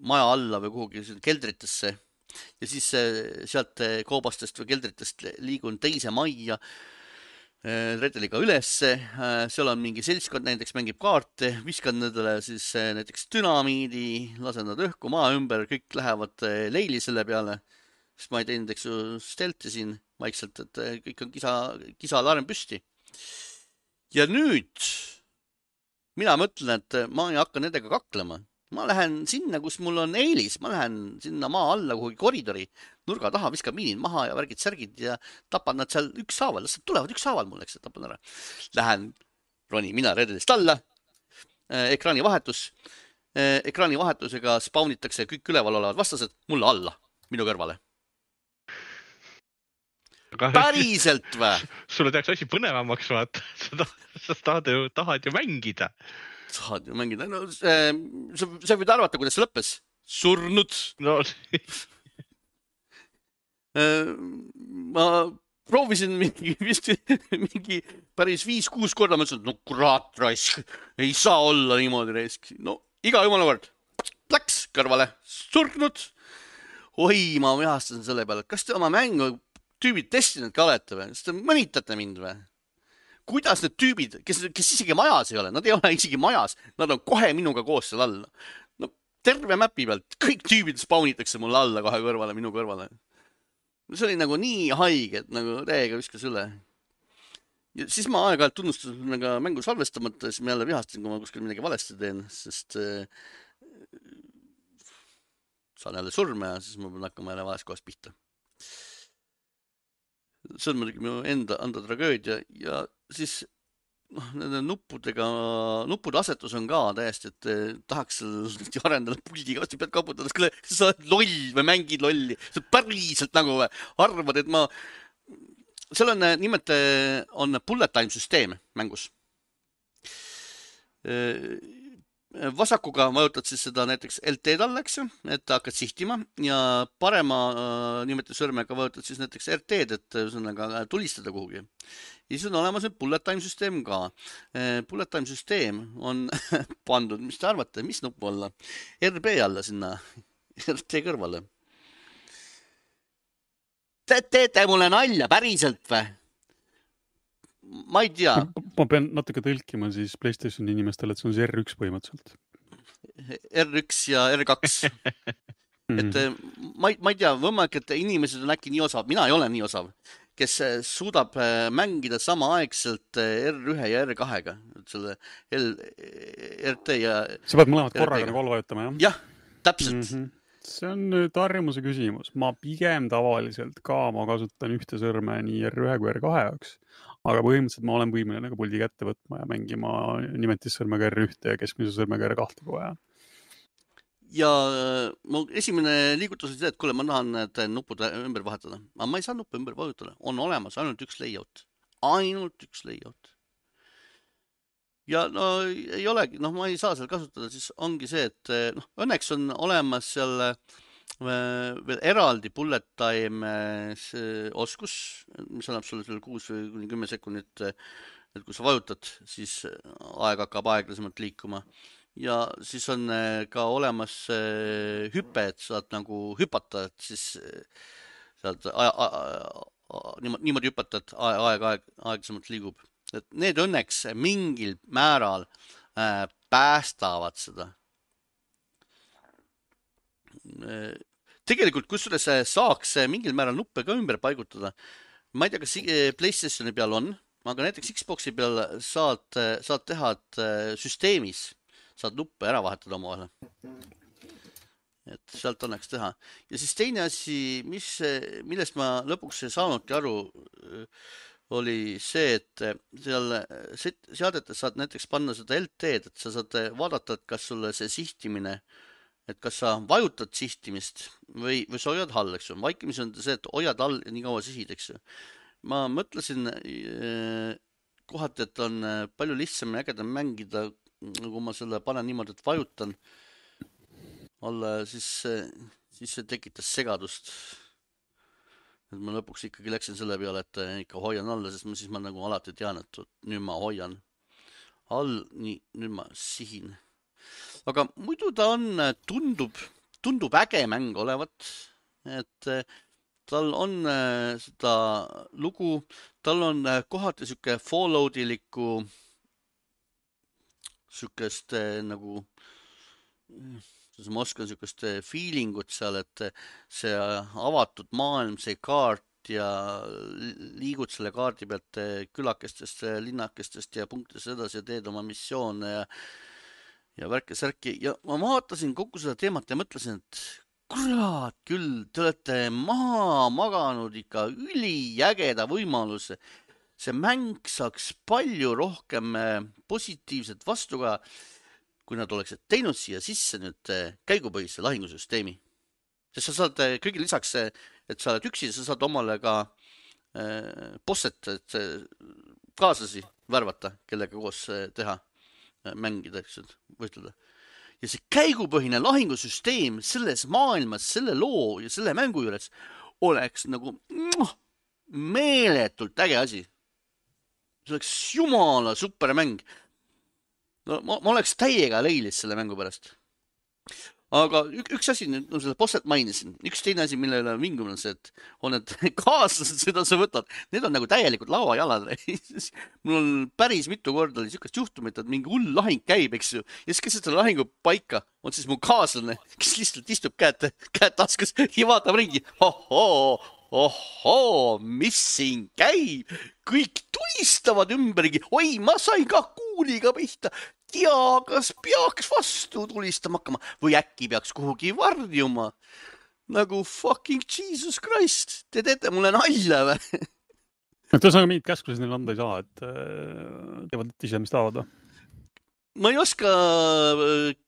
maja alla või kuhugi keldritesse ja siis sealt koobastest või keldritest liigun teise majja redeliga ülesse. Seal on mingi seltskond, näiteks mängib kaarte, viskan nendele siis näiteks dünamiidi, lasen nad õhku maa ümber, kõik lähevad leili selle peale, sest ma ei teinud, eks ju, stelti siin vaikselt, et kõik on kisa, kisaalarm püsti. Ja nüüd mina mõtlen, et ma ei hakka nendega kaklema. Ma lähen sinna, kus mul on eelis. Ma lähen sinna maa alla kuhugi koridori, nurga taha, viskan miinid maha ja värgid särgid ja tapan nad seal ükshaaval. Las tulevad ükshaaval mul, eks, tapan ära. Lähen, roni mina redelist alla, ekraani vahetus. Ekraani vahetusega spaunitakse kõik üleval olevad vastased mulle alla, minu kõrvale. Päriselt või? Sulle tehakse asi põnevamaks, vaata. Sa, sa tahad, ju, tahad ju mängida. Tahad ju mängida. No, see, sa, sa võid arvata, kuidas see lõppes. Surnud. No. Ma proovisin mingi, vist, mingi päris viis-kuus korda. Ma ütlesin, no kurat raisk. Ei saa olla niimoodi raisk. No, iga jumala kord. Läks kõrvale. Surnud. Oi, ma vihastasin selle peale. Kas te oma mängu tüübid testinud ka olete või? Sest te mõnitate mind või? Kuidas need tüübid, kes, kes isegi majas ei ole, nad ei ole isegi majas, nad on kohe minuga koos seal alla. No, terve mäpi pealt, kõik tüübid spaunitakse mulle alla kohe kõrvale, minu kõrvale. See oli nagu nii haige, et nagu täiega viskas üle. Ja siis ma aeg-ajalt tunnustasin nagu mängu salvestamata, siis ma jälle vihastasin, kui ma kuskil midagi valesti teen, sest äh, saan jälle surme ja siis ma pean hakkama jälle vales kohas pihta. See on muidugi minu enda, enda tragöödia ja siis noh, nende nuppudega, nuppude asetus on ka täiesti, et tahaks arendada puldi ka, pead kaputades, kas sa oled loll või mängid lolli, sa päriselt nagu arvad, et ma, seal on nimelt on bullet time süsteem mängus. Vasakuga vajutad siis seda näiteks L T-d all, eks ju, et hakkad sihtima ja parema äh, nimeti sõrmega vajutad siis näiteks R T-d, et ühesõnaga tulistada kuhugi. Ja siis on olemas bullet time süsteem ka. Bullet time süsteem on pandud, mis te arvate, mis nupu alla? R B alla sinna, R T kõrvale. Te teete mulle nalja, päriselt või? Ma ei tea. Ma pean natuke tõlkima siis PlayStationi inimestele, et see on see R üks põhimõtteliselt. R üks ja R kaks. et ma ei, ma ei tea, võimalik, et inimesed on äkki nii osav, mina ei ole nii osav, kes suudab mängida samaaegselt R ühe ja R kahega. Selle L, R T ja... Sa pead mõlemad korraga nagu all vajutama, jah? Jah, täpselt. Mm-hmm. See on nüüd harjumuse küsimus. Ma pigem tavaliselt ka ma kasutan ühte sõrme nii R ühe kui R kahe jaoks. Aga põhimõtteliselt ma olen võimeline nagu puldi kätte võtma ja mängima nimetissõrmega R ühte ja keskmise sõrmega R kahte kui vaja. Ja mu esimene liigutus on see, et kuule, ma tahan need nupud ümber vahetada. Aga ma ei saa nuppu ümber vajutada. On olemas ainult üks layout. Ainult üks layout. ja no ei olegi, noh, ma ei saa seal kasutada, siis ongi see, et noh, õnneks on olemas seal veel eraldi bullet time oskus, mis annab sulle seal kuus või kuni kümme sekundit, et kui sa vajutad, siis aeg hakkab aeglasemalt liikuma. Ja siis on ka olemas hüpe, et saad nagu hüpata, et siis saad niimoodi hüpata, et aeg aeg aeglasemalt liigub. Et need õnneks mingil määral päästavad seda. Tegelikult kusjuures saaks mingil määral nuppe ka ümber paigutada. Ma ei tea, kas PlayStationi peal on, aga näiteks Xboxi peal saad, saad teha, et süsteemis saad nuppe ära vahetada omavahel. Et sealt õnneks teha. Ja siis teine asi, mis, millest ma lõpuks ei saanudki aru, oli see, et seal seadetes saad näiteks panna seda L T-d, et sa saad vaadata, et kas sulle see sihtimine, et kas sa vajutad sihtimist või, või sa hoiad all, eks ju. Vaikimis on see, et hoiad all ja nii kaua sihid, eks ju. Ma mõtlesin kohati, et on palju lihtsam ja ägedam mängida, kui ma selle panen niimoodi, et vajutan alla, siis, siis see tekitas segadust. Et ma lõpuks ikkagi läksin selle peale, et ikka hoian alla, sest ma siis ma nagu alati tean, et nüüd ma hoian all, nii, nüüd ma sihin. Aga muidu ta on, tundub, tundub äge mäng olevat, et tal on seda lugu, tal on kohati siuke Falloutilikku siukest nagu, ma oskan siukest feelingut seal, et see avatud maailm, see kaart ja liigud selle kaardi pealt külakestest, linnakestest ja punktidest edasi ja teed oma missioone ja ja värke särki ja ma vaatasin kogu seda teemat ja mõtlesin, et kurat küll, te olete maha maganud ikka ülijägeda võimaluse. See mäng saaks palju rohkem positiivset vastu ka, kui nad oleksid teinud siia sisse nüüd käigupõhise lahingusüsteemi. Sest sa saad kõige lisaks, et sa oled üksi, sa saad omale ka bosset, et kaaslasi värvata, kellega koos teha. Mängida, eks, võitleda. Ja see käigupõhine lahingusüsteem selles maailmas, selle loo ja selle mängu juures oleks nagu meeletult äge asi. See oleks jumala super mäng. No, ma, ma oleks täiega leilis selle mängu pärast. Aga üks asi, no selle bosset mainisin, üks teine asi, mille üle vingum on see, et on need kaaslased, seda sa võtad, need on nagu täielikult lauajalad. Mul on päris mitu korda oli siukest juhtumit, et mingi hull lahing käib, eks ju, ja siis keset selle lahingu paika on siis mu kaaslane, kes lihtsalt istub käed, käed taskus ja vaatab ringi. Ohoo, ohoo, mis siin käib? Kõik tulistavad ümbergi. Oi, ma sain ka kuuliga pihta. Ja kas peaks vastu tulistama hakkama või äkki peaks kuhugi varjuma? Nagu fucking Jesus Christ, te teete mulle nalja või? Et ühesõnaga mingit käsklusi neil anda ei saa, et teevad ise, mis tahavad. Ma ei oska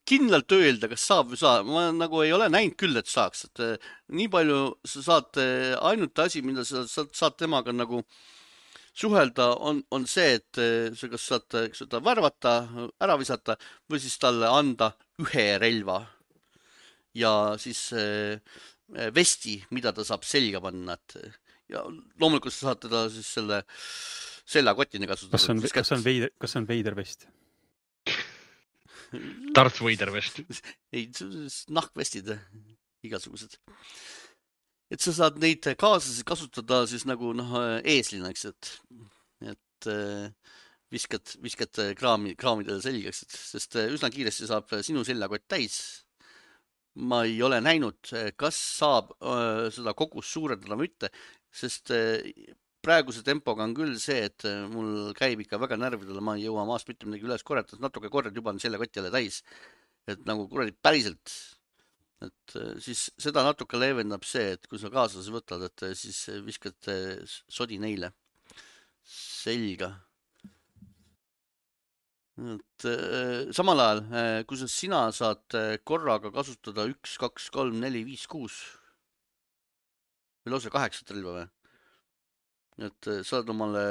kindlalt öelda, kas saab või saa. Ma nagu ei ole näinud küll, et saaks. Et nii palju sa saad ainult asi, mida sa saad temaga nagu suhelda, on, on see, et sa kas saad seda värvata, ära visata või siis talle anda ühe relva ja siis vesti, mida ta saab selga panna. Ja loomulikult sa saad teda siis selle seljakotini kasutada. Kas on, kas on, veider, kas on veider vest? Darth Vader vest. Ei, nahkvestid, igasugused. Et sa saad neid kaaslasi kasutada siis nagu noh, eeslina, eks, et, et viskad, viskad kraami, kraamidele selgeks, et, sest üsna kiiresti saab sinu seljakott täis. Ma ei ole näinud, kas saab äh, seda kogust suurendada või mitte, sest äh, praeguse tempoga on küll see, et mul käib ikka väga närvidele, ma ei jõua maast mitte midagi üles korjata, natuke korjad juba on seljakott jälle täis, et nagu kuradi päriselt. Et siis seda natuke leevendab see, et kui sa kaaslasi võtad, et siis viskad sodi neile selga. Et samal ajal, kui sa sina saad korraga kasutada üks, kaks, kolm, neli, viis, kuus või lausa kaheksat relva või? Et saad omale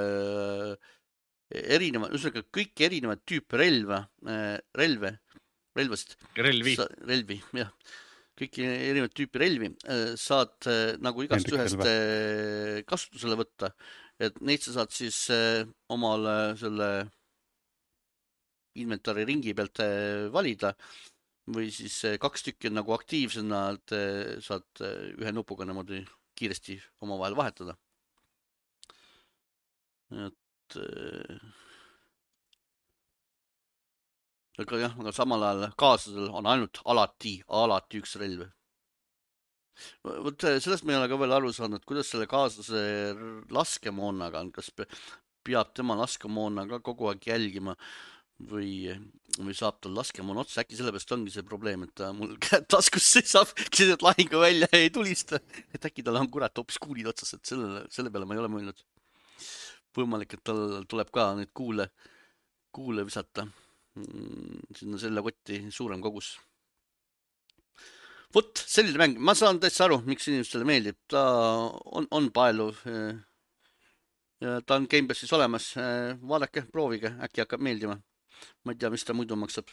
erineva, ühesõnaga kõik erinevad tüüpe relva, relve, relvast. Relvi. Sa, relvi, jah. Kõik erinevad tüüpi relvi saad nagu igast ühest kasutusele võtta, et neid sa saad siis omale selle inventari ringi pealt valida või siis kaks tükki nagu aktiivsena, et saad ühe nupuga niimoodi kiiresti omavahel vahetada. Et aga jah, aga samal ajal kaaslasel on ainult alati, alati üks relv. Võt sellest me ei ole ka veel aru saanud, kuidas selle kaaslase laskemoonaga on, kas peab tema laskemoona ka kogu aeg jälgima või, või saab tal laskemoon otsa, äkki sellepärast ongi see probleem, et ta mul käed taskus seisab, keset lahingu välja ei tulista, et äkki tal on kurat hoopis kuulid otsas, et selle, selle peale ma ei ole mõelnud. Võimalik, et tal tuleb ka nüüd kuule, kuule visata sinna selle kotti suurem kogus. Vot, selline mäng. Ma saan täitsa aru, miks inimestele meeldib. Ta on, on paeluv. Ja ta on Gamepassis olemas. Vaadake, proovige. Äkki hakkab meeldima. Ma ei tea, mis ta muidu maksab.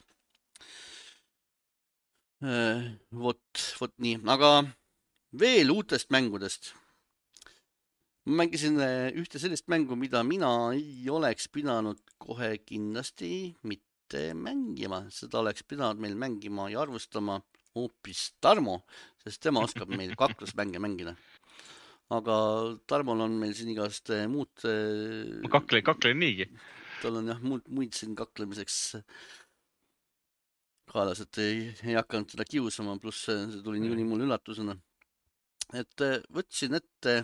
Vot, vot nii. Aga veel uutest mängudest. Ma mängisin ühte sellist mängu, mida mina ei oleks pidanud kohe kindlasti mitte mängima. Seda oleks pidanud meil mängima ja arvustama hoopis Tarmo, sest tema oskab meil kaklusmänge mängida. Aga Tarmol on meil siin igast muud... Ma kaklen, kaklen niigi. Tal on jah muud, muid siin kaklemiseks kaelas, et ei, ei hakanud seda kiusama, pluss see tuli niikuinii mul üllatusena. Et võtsin ette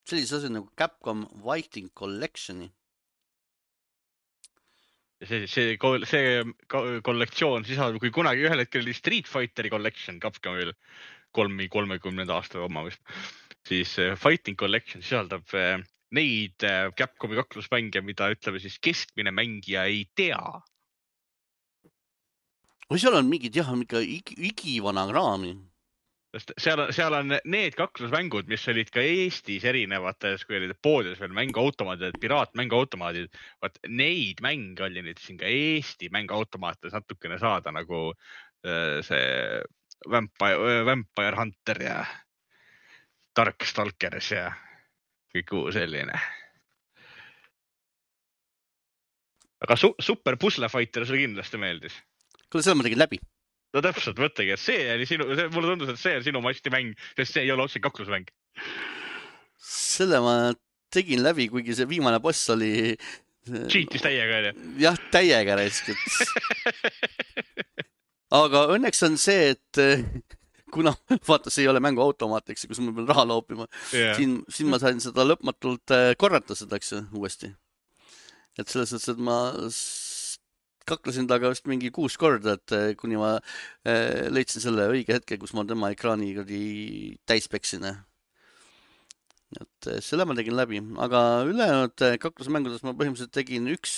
sellise asi nagu Capcom Fighting Collectioni. See, see, see kollektsioon sisaldab, kui kunagi ühel hetkel oli Street Fighteri collection Capcomil kolmi, kolmekümnenda aasta oma vist, siis Fighting Collection sisaldab neid Capcomi kaklusmänge, mida ütleme siis keskmine mängija ei tea. Või seal on mingid jah, mingi igivana kraami. Seal, seal on need kaklusmängud, mis olid ka Eestis erinevates, kui olid poodides veel mänguautomaadid, piraatmänguautomaadid, vaat neid mänge oli nüüd siin ka Eesti mänguautomaatides natukene saada, nagu see Vampire, Vampire Hunter ja Dark Stalkers ja kõik uu selline. Aga su super Puzzle Fighter sulle kindlasti meeldis. Kuule, selle ma tegin läbi. No täpselt, mõttegi, et see oli sinu, see, mulle tundus, et see on sinu masti mäng, sest see ei ole otse kaklusmäng. Selle ma tegin läbi, kuigi see viimane boss oli... Cheatis täiega, jah? Jah, täiega raiskut. Aga õnneks on see, et kuna vaata, see ei ole mänguautomaat, eks, kus ma pean raha loopima, yeah. siin, siin ma sain seda lõpmatult korrata seda, eks, uuesti. Et selles mõttes, et ma... kaklesin taga vist mingi kuus korda, et kuni ma leidsin selle õige hetke, kus ma tema ekraani täis peksin. Et selle ma tegin läbi, aga ülejäänud kaklusmängudes ma põhimõtteliselt tegin üks,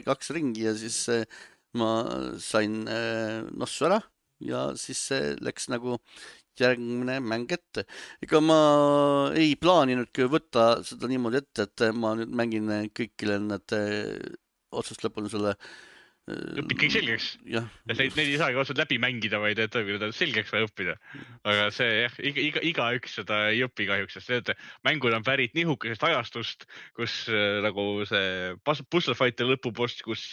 kaks ringi ja siis ma sain nossu ära ja siis läks nagu järgmine mäng ette. Ega ma ei plaaninudki võtta seda niimoodi ette, et ma nüüd mängin kõikile need otsast lõpuni selle õpid kõik selgeks. Ja neid, neid ei saagi otsad läbi mängida, vaid et on selgeks vaja õppida. Aga see jah, iga, iga, iga üks seda ei õpi kahjuks, sest need mängud on pärit nihukesest ajastust, kus nagu see Puzzle Fighter lõpupost, kus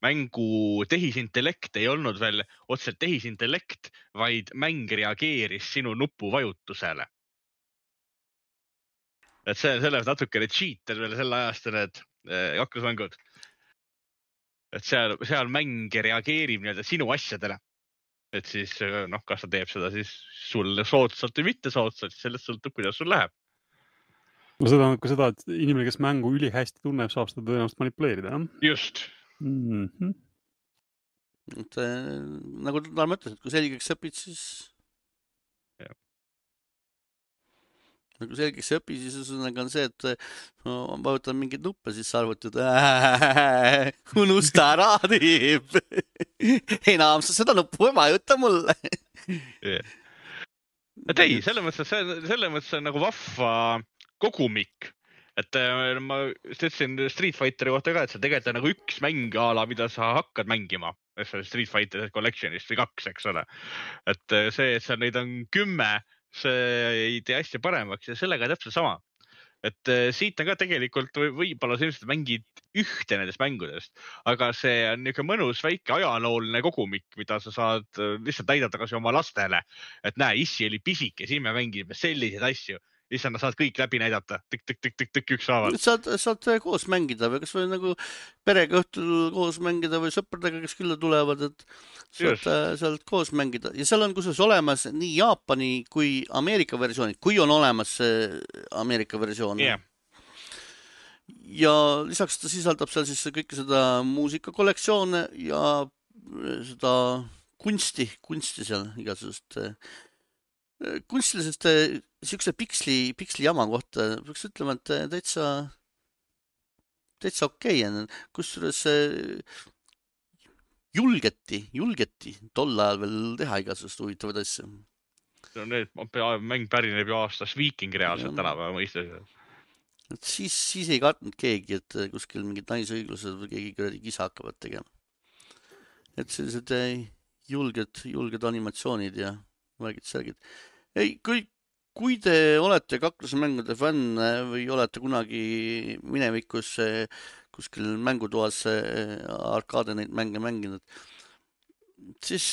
mängu tehisintellekt ei olnud veel otseselt tehisintellekt, vaid mäng reageeris sinu nupu vajutusele. Et see on selles natukene cheater veel selle ajast need kaklusmängud. Et seal, seal mäng reageerib nii-öelda sinu asjadele. Et siis, noh, kas ta teeb seda siis sulle soodsalt või mitte soodsalt, sellest sõltub, kuidas sul läheb. No seda on ka seda, et inimene, kes mängu üli hästi tunneb, saab seda tõenäoliselt manipuleerida, jah? Just. Mm-hmm. Et, nagu ta mõtles, et kui selgeks õpid, siis... Ja. Nagu selgeks õpi, siis on see, et no, ma vajutan mingid nuppe, siis sa arvutad, unusta ära, tiib. Enam sa seda nuppu ei vajuta mulle. Yeah. Et ei, selle mõttes, selle mõttes on nagu vahva kogumik et ma ütlesin Street Fighteri kohta ka, et see tegelikult on nagu üks mäng ala, mida sa hakkad mängima Street Fighter Collectionist või kaks, eks ole. Et see, et seal neid on kümme, see ei tee hästi paremaks ja sellega täpselt sama. Et siit on ka tegelikult võib-olla sellised mängid ühte nendest mängudest, aga see on niisugune mõnus väike ajalooline kogumik, mida sa saad lihtsalt näidata kas oma lastele, et näe, issi oli pisike, siin me mängime selliseid asju. Lihtsalt nad saad kõik läbi näidata, tükk-tükk-tükk-tükk üks saavad. Saad, saad koos mängida või kas või nagu perega õhtul koos mängida või sõpradega, kes külla tulevad, et saad, saad koos mängida. Ja seal on kusjuures olemas nii Jaapani kui Ameerika versioonid, kui on olemas Ameerika versioon. Yeah. Ja lisaks ta sisaldab seal siis kõike seda muusikakollektsioone ja seda kunsti, kunsti seal igasugust kunstilisest siukse piksli, piksli jama kohta peaks ütlema, et täitsa, täitsa okei on. Kusjuures julgeti, julgeti tol ajal veel teha igasugust huvitavad asju. No need mäng pärineb ju aastas Viiking reaalselt tänapäeva mõistes. Et siis, siis ei kartnud keegi, et kuskil mingid naisõiglused või keegi kuradi kisa hakkavad tegema. Et sellised julged, julged animatsioonid ja värgid särgid. Ei, kui, kui te olete kaklusemängude fänn või olete kunagi minevikus kuskil mängutoas arkaade neid mänge mänginud, siis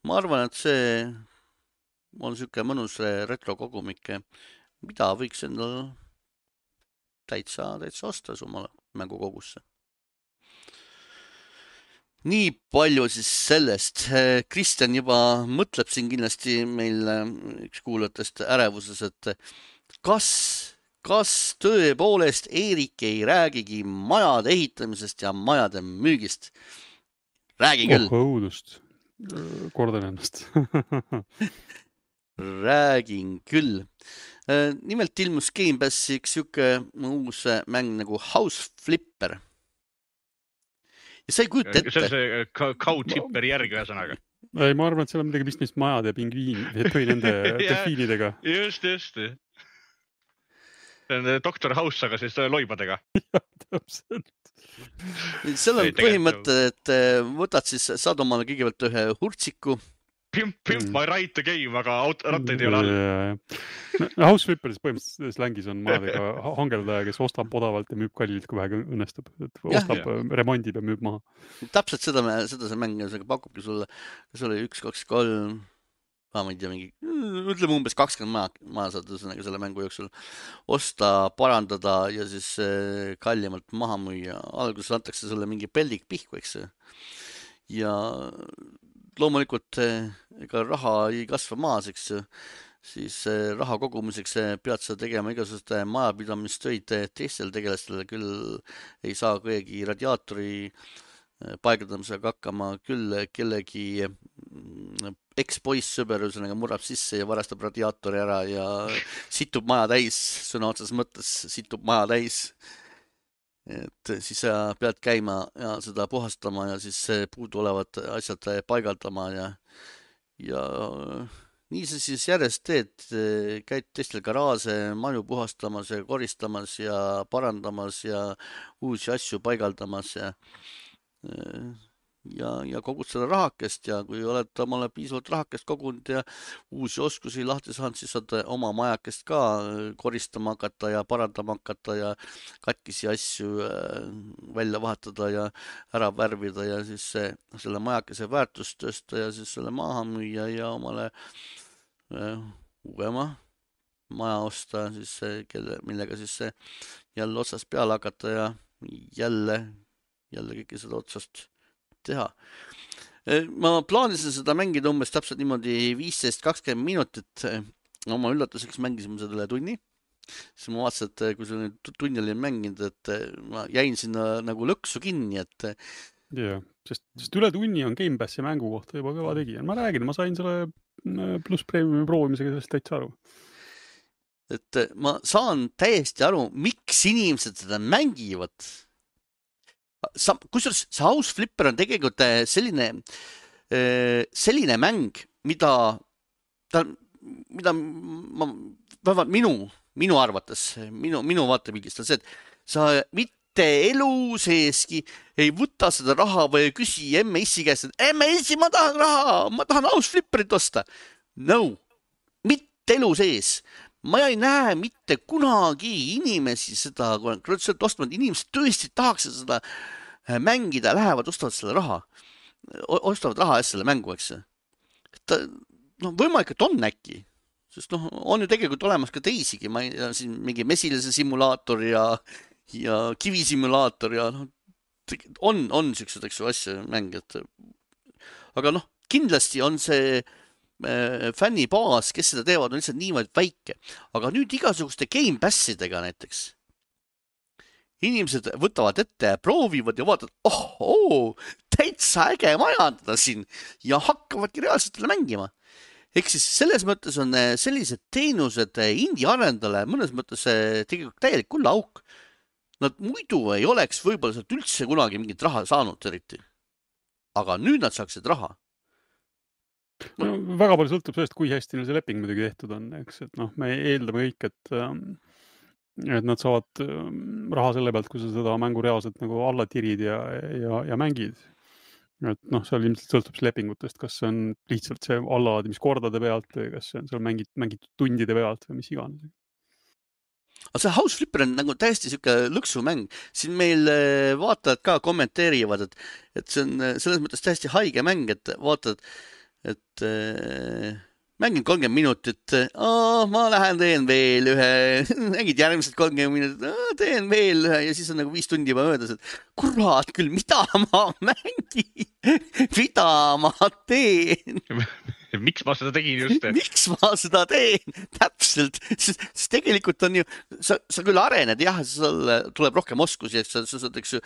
ma arvan, et see on siuke mõnus retrokogumik, mida võiks endal täitsa, täitsa osta omale mängukogusse. Nii palju siis sellest. Kristjan juba mõtleb siin kindlasti meil üks kuulajatest ärevuses, et kas, kas tõepoolest Eerik ei räägigi majade ehitamisest ja majade müügist? Räägi küll. Oh, õudust. Kordan ennast. Räägin küll. Nimelt ilmus Game Passi üks siuke uus mäng nagu House Flipper. Ja sa ei kujuta ette. See on see Cow-Tipper järgi ühesõnaga. Ei, ma arvan, et seal on midagi vist majade ja pingviin, või nende delfiinidega. Just, just. See on doktor House, aga siis loibadega. Ja, täpselt. Seal on põhimõte, et võtad siis, saad omale kõigepealt ühe hurtsiku. Pimp, pimp, ma ei raita game, aga rattaid ei ole all. House Flipperis põhimõtteliselt slängis on majadega hangeldaja, kes ostab odavalt ja müüb kallilt, kui vähegi õnnestub. Ostab, ja, remondib ja müüb maha. Täpselt seda, me, seda see mäng pakubki sulle. Kas oli üks, kaks, kolm, ma ei tea, mingi, ütleme umbes kakskümmend maja, maja saad selle mängu jooksul osta, parandada ja siis kallimalt maha müüa. Alguses antakse sulle mingi peldik pihku, eks. Ja loomulikult ega raha ei kasva maas, eks, siis raha kogumiseks pead sa tegema igasuguste majapidamistöid teistel tegelastel, küll ei saa kõigi radiaatori paigaldamisega hakkama, küll kellegi eks-poiss sõberusega murrab sisse ja varastab radiaatori ära ja situb maja täis, sõna otses mõttes situb maja täis. Et siis sa pead käima ja seda puhastama ja siis puudu olevad asjad paigaldama ja, ja nii sa siis järjest teed, käid teistel garaaže, maju puhastamas ja koristamas ja parandamas ja uusi asju paigaldamas ja, ja, ja kogud seda rahakest ja kui oled omale piisavalt rahakest kogunud ja uusi oskusi lahti saanud, siis saad oma majakest ka koristama hakata ja parandama hakata ja katkisi asju välja vahetada ja ära värvida ja siis selle majakese väärtust tõsta ja siis selle maha müüa ja omale uuema maja osta, siis kelle, millega siis jälle otsast peale hakata ja jälle, jälle kõike seda otsast teha. Ma plaanisin seda mängida umbes täpselt niimoodi viisteist kakskümmend minutit. Oma üllatuseks mängisime seda üle tunni. Siis ma vaatasin, et kui see tunni oli mänginud, et ma jäin sinna nagu lõksu kinni, et... Jah, sest, sest üle tunni on Game Passi mängu kohta juba kõva tegija. Ma räägin, ma sain selle pluss premiumi proovimisega sellest täitsa aru. Et ma saan täiesti aru, miks inimesed seda mängivad. Sa, kusjuures see House Flipper on tegelikult selline, selline mäng, mida, ta, mida ma, vähemalt minu minu arvates, minu, minu vaatepildist on see, et sa mitte elu seeski ei võta seda raha või ei küsi emme issi käest, et emme issi, ma tahan raha, ma tahan House Flipperit osta. No, mitte elu sees. Ma ei näe mitte kunagi inimesi seda, kui nad ostavad, inimesed tõesti tahaks seda mängida, lähevad, ostavad selle raha, ostavad raha eest selle mängu, eks. Ta, no, võimalik, et on äkki, sest noh, on ju tegelikult olemas ka teisigi, ma ei tea, siin mingi mesilise simulaator ja, ja kivisimulaator ja noh, on, on siuksed, eks ju, asja mängijad. Aga noh, kindlasti on see fännibaas, kes seda teevad, on lihtsalt niimoodi väike. Aga nüüd igasuguste Game Passidega näiteks. Inimesed võtavad ette ja proovivad ja vaatavad, oh, oh, täitsa äge majandada siin ja hakkavadki reaalselt mängima. Ehk siis selles mõttes on sellised teenused indie arendale mõnes mõttes tegelikult täielik kulla auk. Nad muidu ei oleks võib-olla sealt üldse kunagi mingit raha saanud eriti. Aga nüüd nad saaksid raha. No, väga palju sõltub sellest, kui hästi neil see leping muidugi tehtud on, eks, et noh, me eeldame kõik, et, et nad saavad raha selle pealt, kui sa seda mängu reaalselt nagu alla tirid ja, ja, ja mängid. Et noh, seal ilmselt sõltub lepingutest, kas see on lihtsalt see allalaadimiskordade pealt või kas see on seal mängit, mängitud tundide pealt või mis iganes. Aga see House Flipper on nagu täiesti siuke lõksumäng. Siin meil vaatajad ka kommenteerivad, et, et see on selles mõttes täiesti haige mäng, et vaatad, et äh, mängin kolmkümmend minutit, oh, ma lähen teen veel ühe, mängid järgmised kolmkümmend minutit, oh, teen veel ühe ja siis on nagu viis tundi juba möödas, et kurat küll, mida ma mängin, mida ma teen. Miks ma seda tegin just? Miks ma seda teen? Täpselt. Sest, sest tegelikult on ju, sa, sa küll arened, jah, sul tuleb rohkem oskusi, et sa, sa saad, eks ju,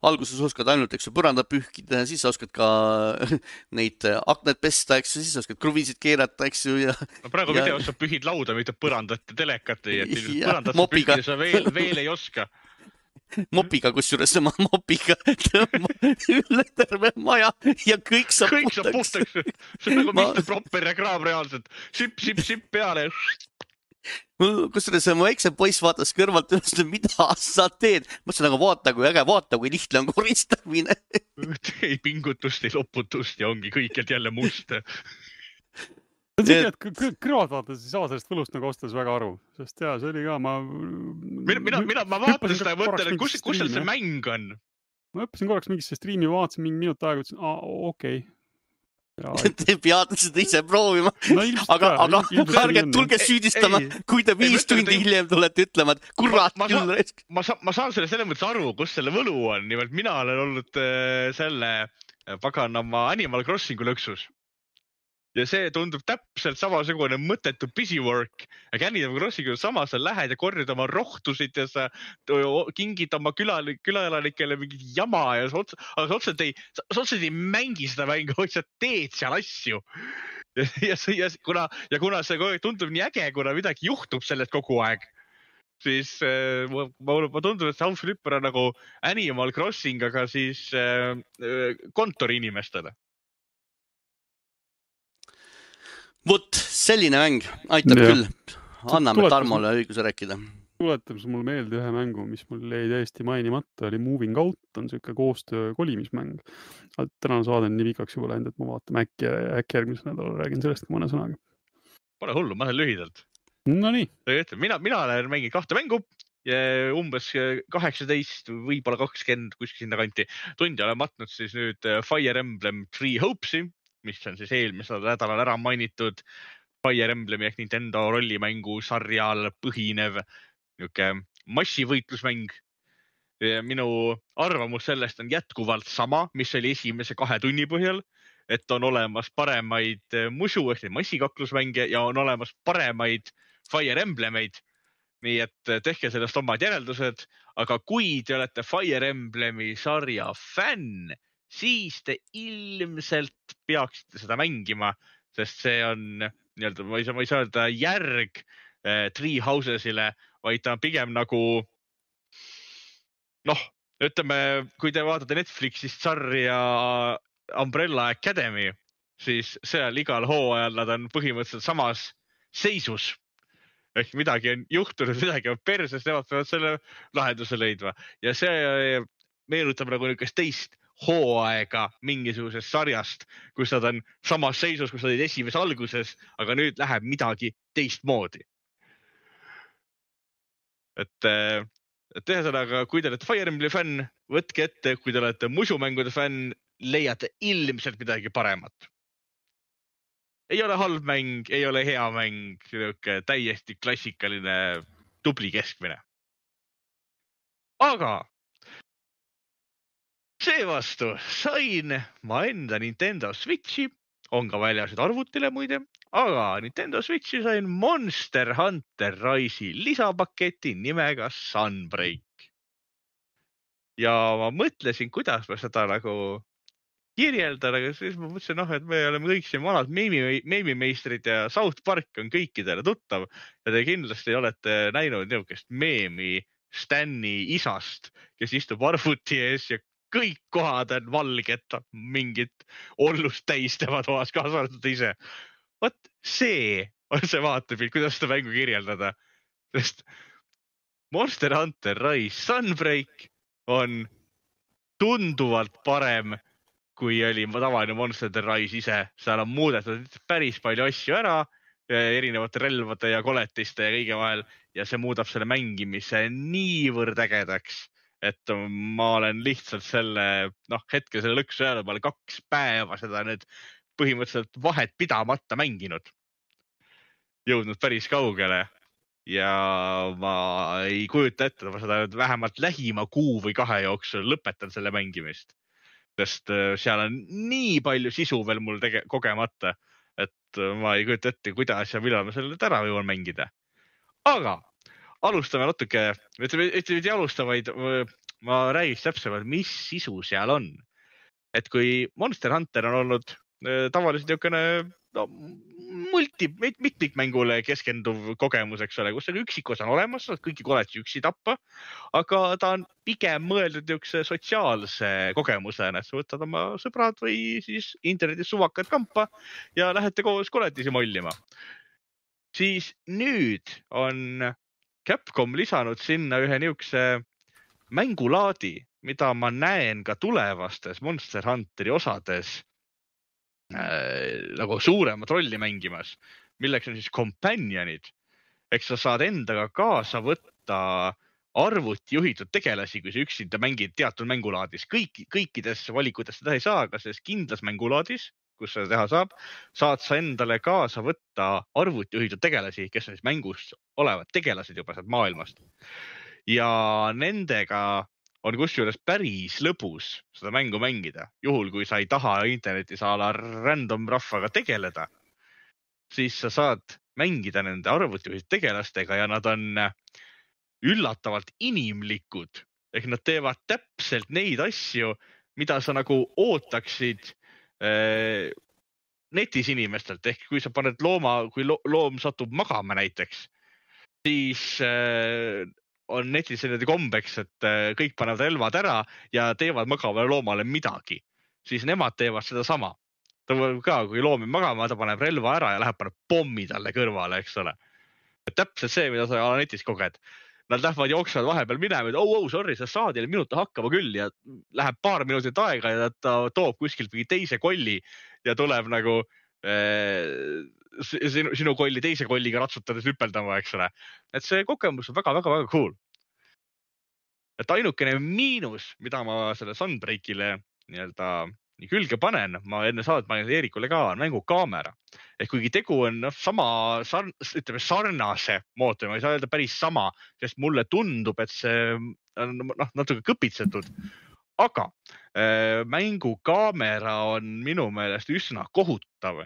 alguses oskad ainult, eks ju, põranda pühkida, siis sa oskad ka neid akned pesta, eks ju, siis sa oskad kruvisid keerata, eks ju. Ja, no praegu ja... videos sa pühid lauda, mitte põrandat ja telekat, et põrandat sa mopiga. Pühkida sa veel, veel ei oska. Mopiga, kus juures ma mopiga üle terve maja ja kõik saab kõik puhtaks. Kõik saab puhtaks. See on nagu ma... mister Propper reklaam reaalselt. Sip, sip, sip peale. Kusjuures mu eksem poiss vaatas kõrvalt üles, mida sa teed. Mõtlesin, aga vaata, kui äge, vaata, kui lihtne on koristamine. Ei pingutust, ei loputust ja ongi kõikjalt jälle must. See on siuke, et kõrvad vaatades ei saa sellest võlust nagu ostas väga aru, sest jaa, see oli ka, ma... Mina, mina, mina ma vaatan seda ja mõtlen, et kus, kus seal see mäng on? Ma õppisin korraks mingisse striimi, vaatasin mingi minut aega, ütlesin, aa, okei. Te peate seda ise proovima. No, aga aga ärge tulge süüdistama, ei, kui te viis tundi ei, hiljem tulete ütlema, et kurat ma, ma küll resk. Ma, sa, ma saan selle selle mõttes aru, kus selle võlu on. Nimelt mina olen olnud äh, selle paganama Animal Crossingu lõksus. Ja see tundub täpselt samasugune mõttetu busy work. Aga Animal Crossing on sama, sa lähed ja korjad oma rohtusid ja sa kingid oma külaelanikele mingit jama ja sa otsa, aga sa otseselt ei, sa otseselt ei mängi seda mängu, vaid sa teed seal asju. Ja, ja, ja, kuna, ja kuna see tundub nii äge, kuna midagi juhtub sellest kogu aeg, siis äh, ma, ma tundub, et House Flipper on nagu Animal Crossing, aga siis äh, kontori inimestele. Vot, selline mäng, aitab ja. Küll. Anname Tarmole õiguse rääkida. Tuletab see mul meelde ühe mängu, mis mul jäi täiesti mainimata, oli Moving Out, on siuke koostöö kolimismäng. Tänane saade on nii pikaks juba läinud, et ma vaatan äkki, äkki järgmisel nädalal räägin sellest mõne sõnaga. Pole hullu, ma olen lühidalt. No nii. Mina, mina olen mänginud kahte mängu ja umbes kaheksateist, võib-olla kakskümmend kuskil sinna kanti tundi olen matnud siis nüüd Fire Emblem Three Hopes'i, mis on siis eelmisel nädalal ära mainitud Fire Emblemi ehk Nintendo rollimängu sarjal põhinev niuke massivõitlusmäng. Ja minu arvamus sellest on jätkuvalt sama, mis oli esimese kahe tunni põhjal, et on olemas paremaid musu ehk massikaklusmänge ja on olemas paremaid Fire Emblemeid. Nii et tehke sellest omad järeldused, aga kui te olete Fire Emblemi sarja fänn, siis te ilmselt peaksite seda mängima, sest see on, nii-öelda, ma ei saa, ma ei saa öelda järg äh, Three Housesile, vaid ta on pigem nagu, noh, ütleme, kui te vaatate Netflixist sarja Umbrella Academy, siis seal igal hooajal nad on põhimõtteliselt samas seisus. ehk midagi on juhtunud, midagi on perses, nemad peavad selle lahenduse leidma ja see meenutab nagu niisugust teist hooaega mingisugusest sarjast, kus nad on samas seisus, kus nad olid esimese alguses, aga nüüd läheb midagi teistmoodi. Et, et ühesõnaga, kui te olete Fire Emblemi fänn, võtke ette, kui te olete musumängude fänn, leiate ilmselt midagi paremat. Ei ole halb mäng, ei ole hea mäng, täiesti klassikaline tubli keskmine. Aga seevastu sain ma enda Nintendo Switchi, on ka väljasid arvutile muide, aga Nintendo Switchi sain Monster Hunter Rise'i lisapaketi nimega Sunbreak. Ja ma mõtlesin, kuidas ma seda nagu kirjeldan, aga siis ma mõtlesin, noh, et me oleme kõik siin vanad meemimeistrid ja South Park on kõikidele tuttav ja te kindlasti olete näinud niisugust meemi Stani isast, kes istub arvuti ees ja kõik kohad on valged, mingit ollust täis tema toas, kaasa arvatud ise. Vot see on see vaatepilt, kuidas seda mängu kirjeldada. Sest Monster Hunter Rise Sunbreak on tunduvalt parem, kui oli tavaline Monster Hunter Rise ise. Seal on muudetud päris palju asju ära, erinevate relvade ja koletiste ja kõige vahel, ja see muudab selle mängimise niivõrd ägedaks, et ma olen lihtsalt selle, noh, hetkel selle lõksu jäänud, ma olen kaks päeva seda nüüd põhimõtteliselt vahet pidamata mänginud. Jõudnud päris kaugele ja ma ei kujuta ette, ma seda nüüd vähemalt lähima kuu või kahe jooksul lõpetan selle mängimist. Sest seal on nii palju sisu veel mul tege- kogemata, et ma ei kujuta ette, kuidas ja millal ma selle ära jõuan mängida. Aga alustame natuke, ütleme, ütleme, alustavaid, ma räägiks täpsemalt, mis sisu seal on. Et kui Monster Hunter on olnud tavaliselt niisugune no, multi, mitmikmängule keskenduv kogemus, eks ole, kus on üksikos on olemas, kõiki koletsi üksi tappa, aga ta on pigem mõeldud niisuguse sotsiaalse kogemusena, et sa võtad oma sõbrad või siis internetis suvakad kampa ja lähete koos koletisi mollima. Siis nüüd on Capcom lisanud sinna ühe niisuguse mängulaadi, mida ma näen ka tulevastes Monster Hunteri osades äh, nagu suuremat rolli mängimas, milleks on siis companionid. Eks sa saad endaga kaasa võtta arvuti juhitud tegelasi, kui sa üksinda mängid teatud mängulaadis. Kõik, kõikides valikutes seda ei saa, aga selles kindlas mängulaadis, kus seda teha saab, saad sa endale kaasa võtta arvuti juhitud tegelasi, kes on siis mängus olevad tegelased juba sealt maailmast. Ja nendega on kusjuures päris lõbus seda mängu mängida. Juhul, kui sa ei taha internetis a la random rahvaga tegeleda, siis sa saad mängida nende arvutijuhitud tegelastega ja nad on üllatavalt inimlikud. Ehk nad teevad täpselt neid asju, mida sa nagu ootaksid äh, netis inimestelt. Ehk kui sa paned looma, kui lo loom satub magama näiteks, siis äh, on netis selline kombeks, et kõik panevad relvad ära ja teevad magavale loomale midagi. Siis nemad teevad seda sama. Ta ka, kui loom on magama, ta paneb relva ära ja läheb paneb pommi talle kõrvale, eks ole. Täpselt see, mida sa netis koged. Nad lähevad jooksvad vahepeal minema, et oh, oh, sorry, sa saad jälle minuta hakkama küll ja läheb paar minutit aega ja ta toob kuskilt mingi teise kolli ja tuleb nagu äh, Sinu, sinu kolli teise kolliga ratsutades hüpeldama, eks ole. Et see kogemus on väga-väga-väga cool. Et ainukene miinus, mida ma selle Sunbreakile nii-öelda nii külge panen, ma enne saadet panen Eerikule ka, on mängu kaamera. Ehk kuigi tegu on no, sama sarn, ütleme, sarnase mootori, ma ei saa öelda päris sama, sest mulle tundub, et see on no, natuke kõpitsetud. Aga äh, mängu kaamera on minu meelest üsna kohutav.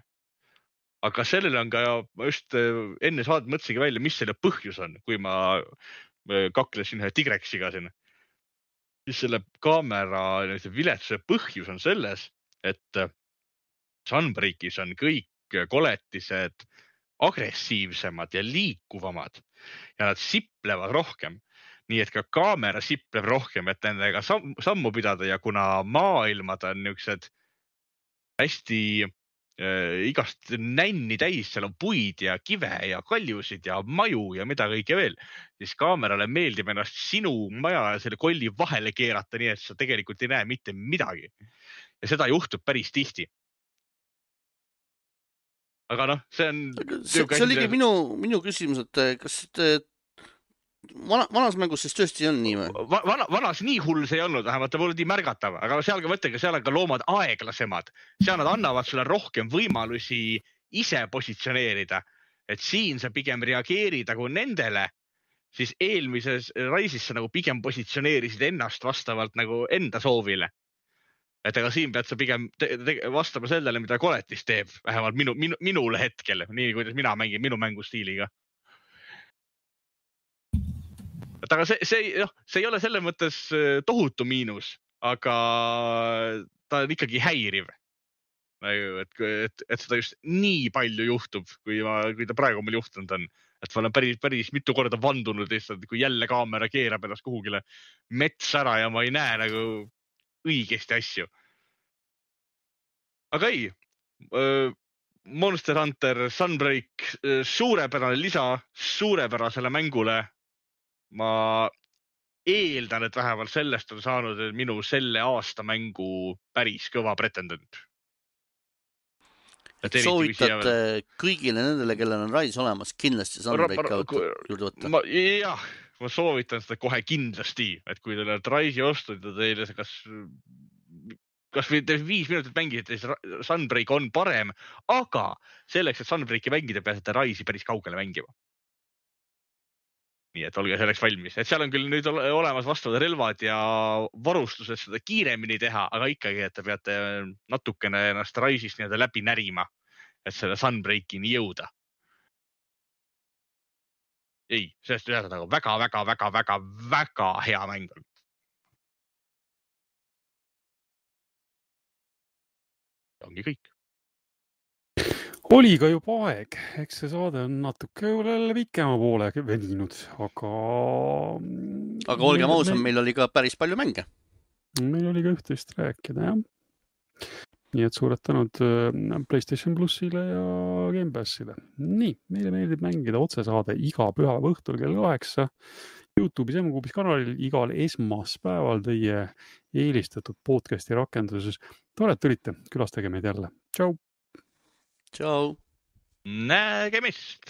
Aga sellel on ka, ma just enne saadet mõtlesingi välja, mis selle põhjus on, kui ma kaklesin ühe Tigreksiga siin. Siis selle kaamera viletsuse põhjus on selles, et Sunbreakis on kõik koletised agressiivsemad ja liikuvamad ja nad siplevad rohkem. Nii et ka kaamera sipleb rohkem, et nendega sam sammu pidada ja kuna maailmad on niisugused hästi äh, igast nänni täis, seal on puid ja kive ja kaljusid ja maju ja mida kõike veel, siis kaamerale meeldib ennast sinu maja ja selle kolli vahele keerata, nii et sa tegelikult ei näe mitte midagi. Ja seda juhtub päris tihti. Aga noh, see on... See, see oligi minu, minu küsimus, et kas et Vana, vanas mängus siis tõesti on nii või? Vana, vanas nii hull see ei olnud, vähemalt ta pole nii märgatav, aga seal ka mõttega, seal on ka loomad aeglasemad. Seal nad annavad sulle rohkem võimalusi ise positsioneerida. Et siin sa pigem reageerid nagu nendele, siis eelmises raisis sa nagu pigem positsioneerisid ennast vastavalt nagu enda soovile. Et aga siin pead sa pigem te te vastama sellele, mida koletis teeb, vähemalt minu, minu, minule hetkel, nii kuidas mina mängin minu mängustiiliga. Et aga see, see, noh, see ei ole selle mõttes tohutu miinus, aga ta on ikkagi häiriv. Et, et, et seda just nii palju juhtub, kui, ma, kui ta praegu meil juhtunud on. Et ma olen päris, päris mitu korda vandunud lihtsalt, kui jälle kaamera keerab ennast kuhugile mets ära ja ma ei näe nagu õigesti asju. Aga ei, Monster Hunter Sunbreak, suurepärane lisa suurepärasele mängule. Ma eeldan, et vähemalt sellest on saanud minu selle aasta mängu päris kõva pretendent. Soovitate kõigile nendele, kellel on Rise olemas, kindlasti Sunbreak juurde võtta? Ma, jah, ma soovitan seda kohe kindlasti, et kui teil on Rise'i ostud ja teile kas, kas või viis minutit mängida, siis Sunbreak on parem, aga selleks, et Sunbreaki mängida, peasite Rise'i päris kaugele mängima. Nii et olge selleks valmis. Et seal on küll nüüd olemas vastavad relvad ja varustused seda kiiremini teha, aga ikkagi, et te peate natukene ennast Rise'ist nii-öelda läbi närima, et selle Sunbreakini jõuda. Ei, sellest ühesõnaga nagu väga, väga, väga, väga, väga hea mäng on. Ongi kõik. Oli ka juba aeg, eks see saade on natuke pikema poole veninud, aga... Aga olgem ausam, meil... meil oli ka päris palju mänge. Meil oli ka üht-teist rääkida, jah. Nii et suured tänud PlayStation Plusile ja Game Passile. Nii, meile meeldib mängida otsesaade iga pühapäeva õhtul kell kaheksa YouTube'is M-Kuubis kanalil igal esmaspäeval teie eelistatud podcasti rakenduses. Tore, et tulite, külastage meid jälle. Tšau! Ciao. Nägemist!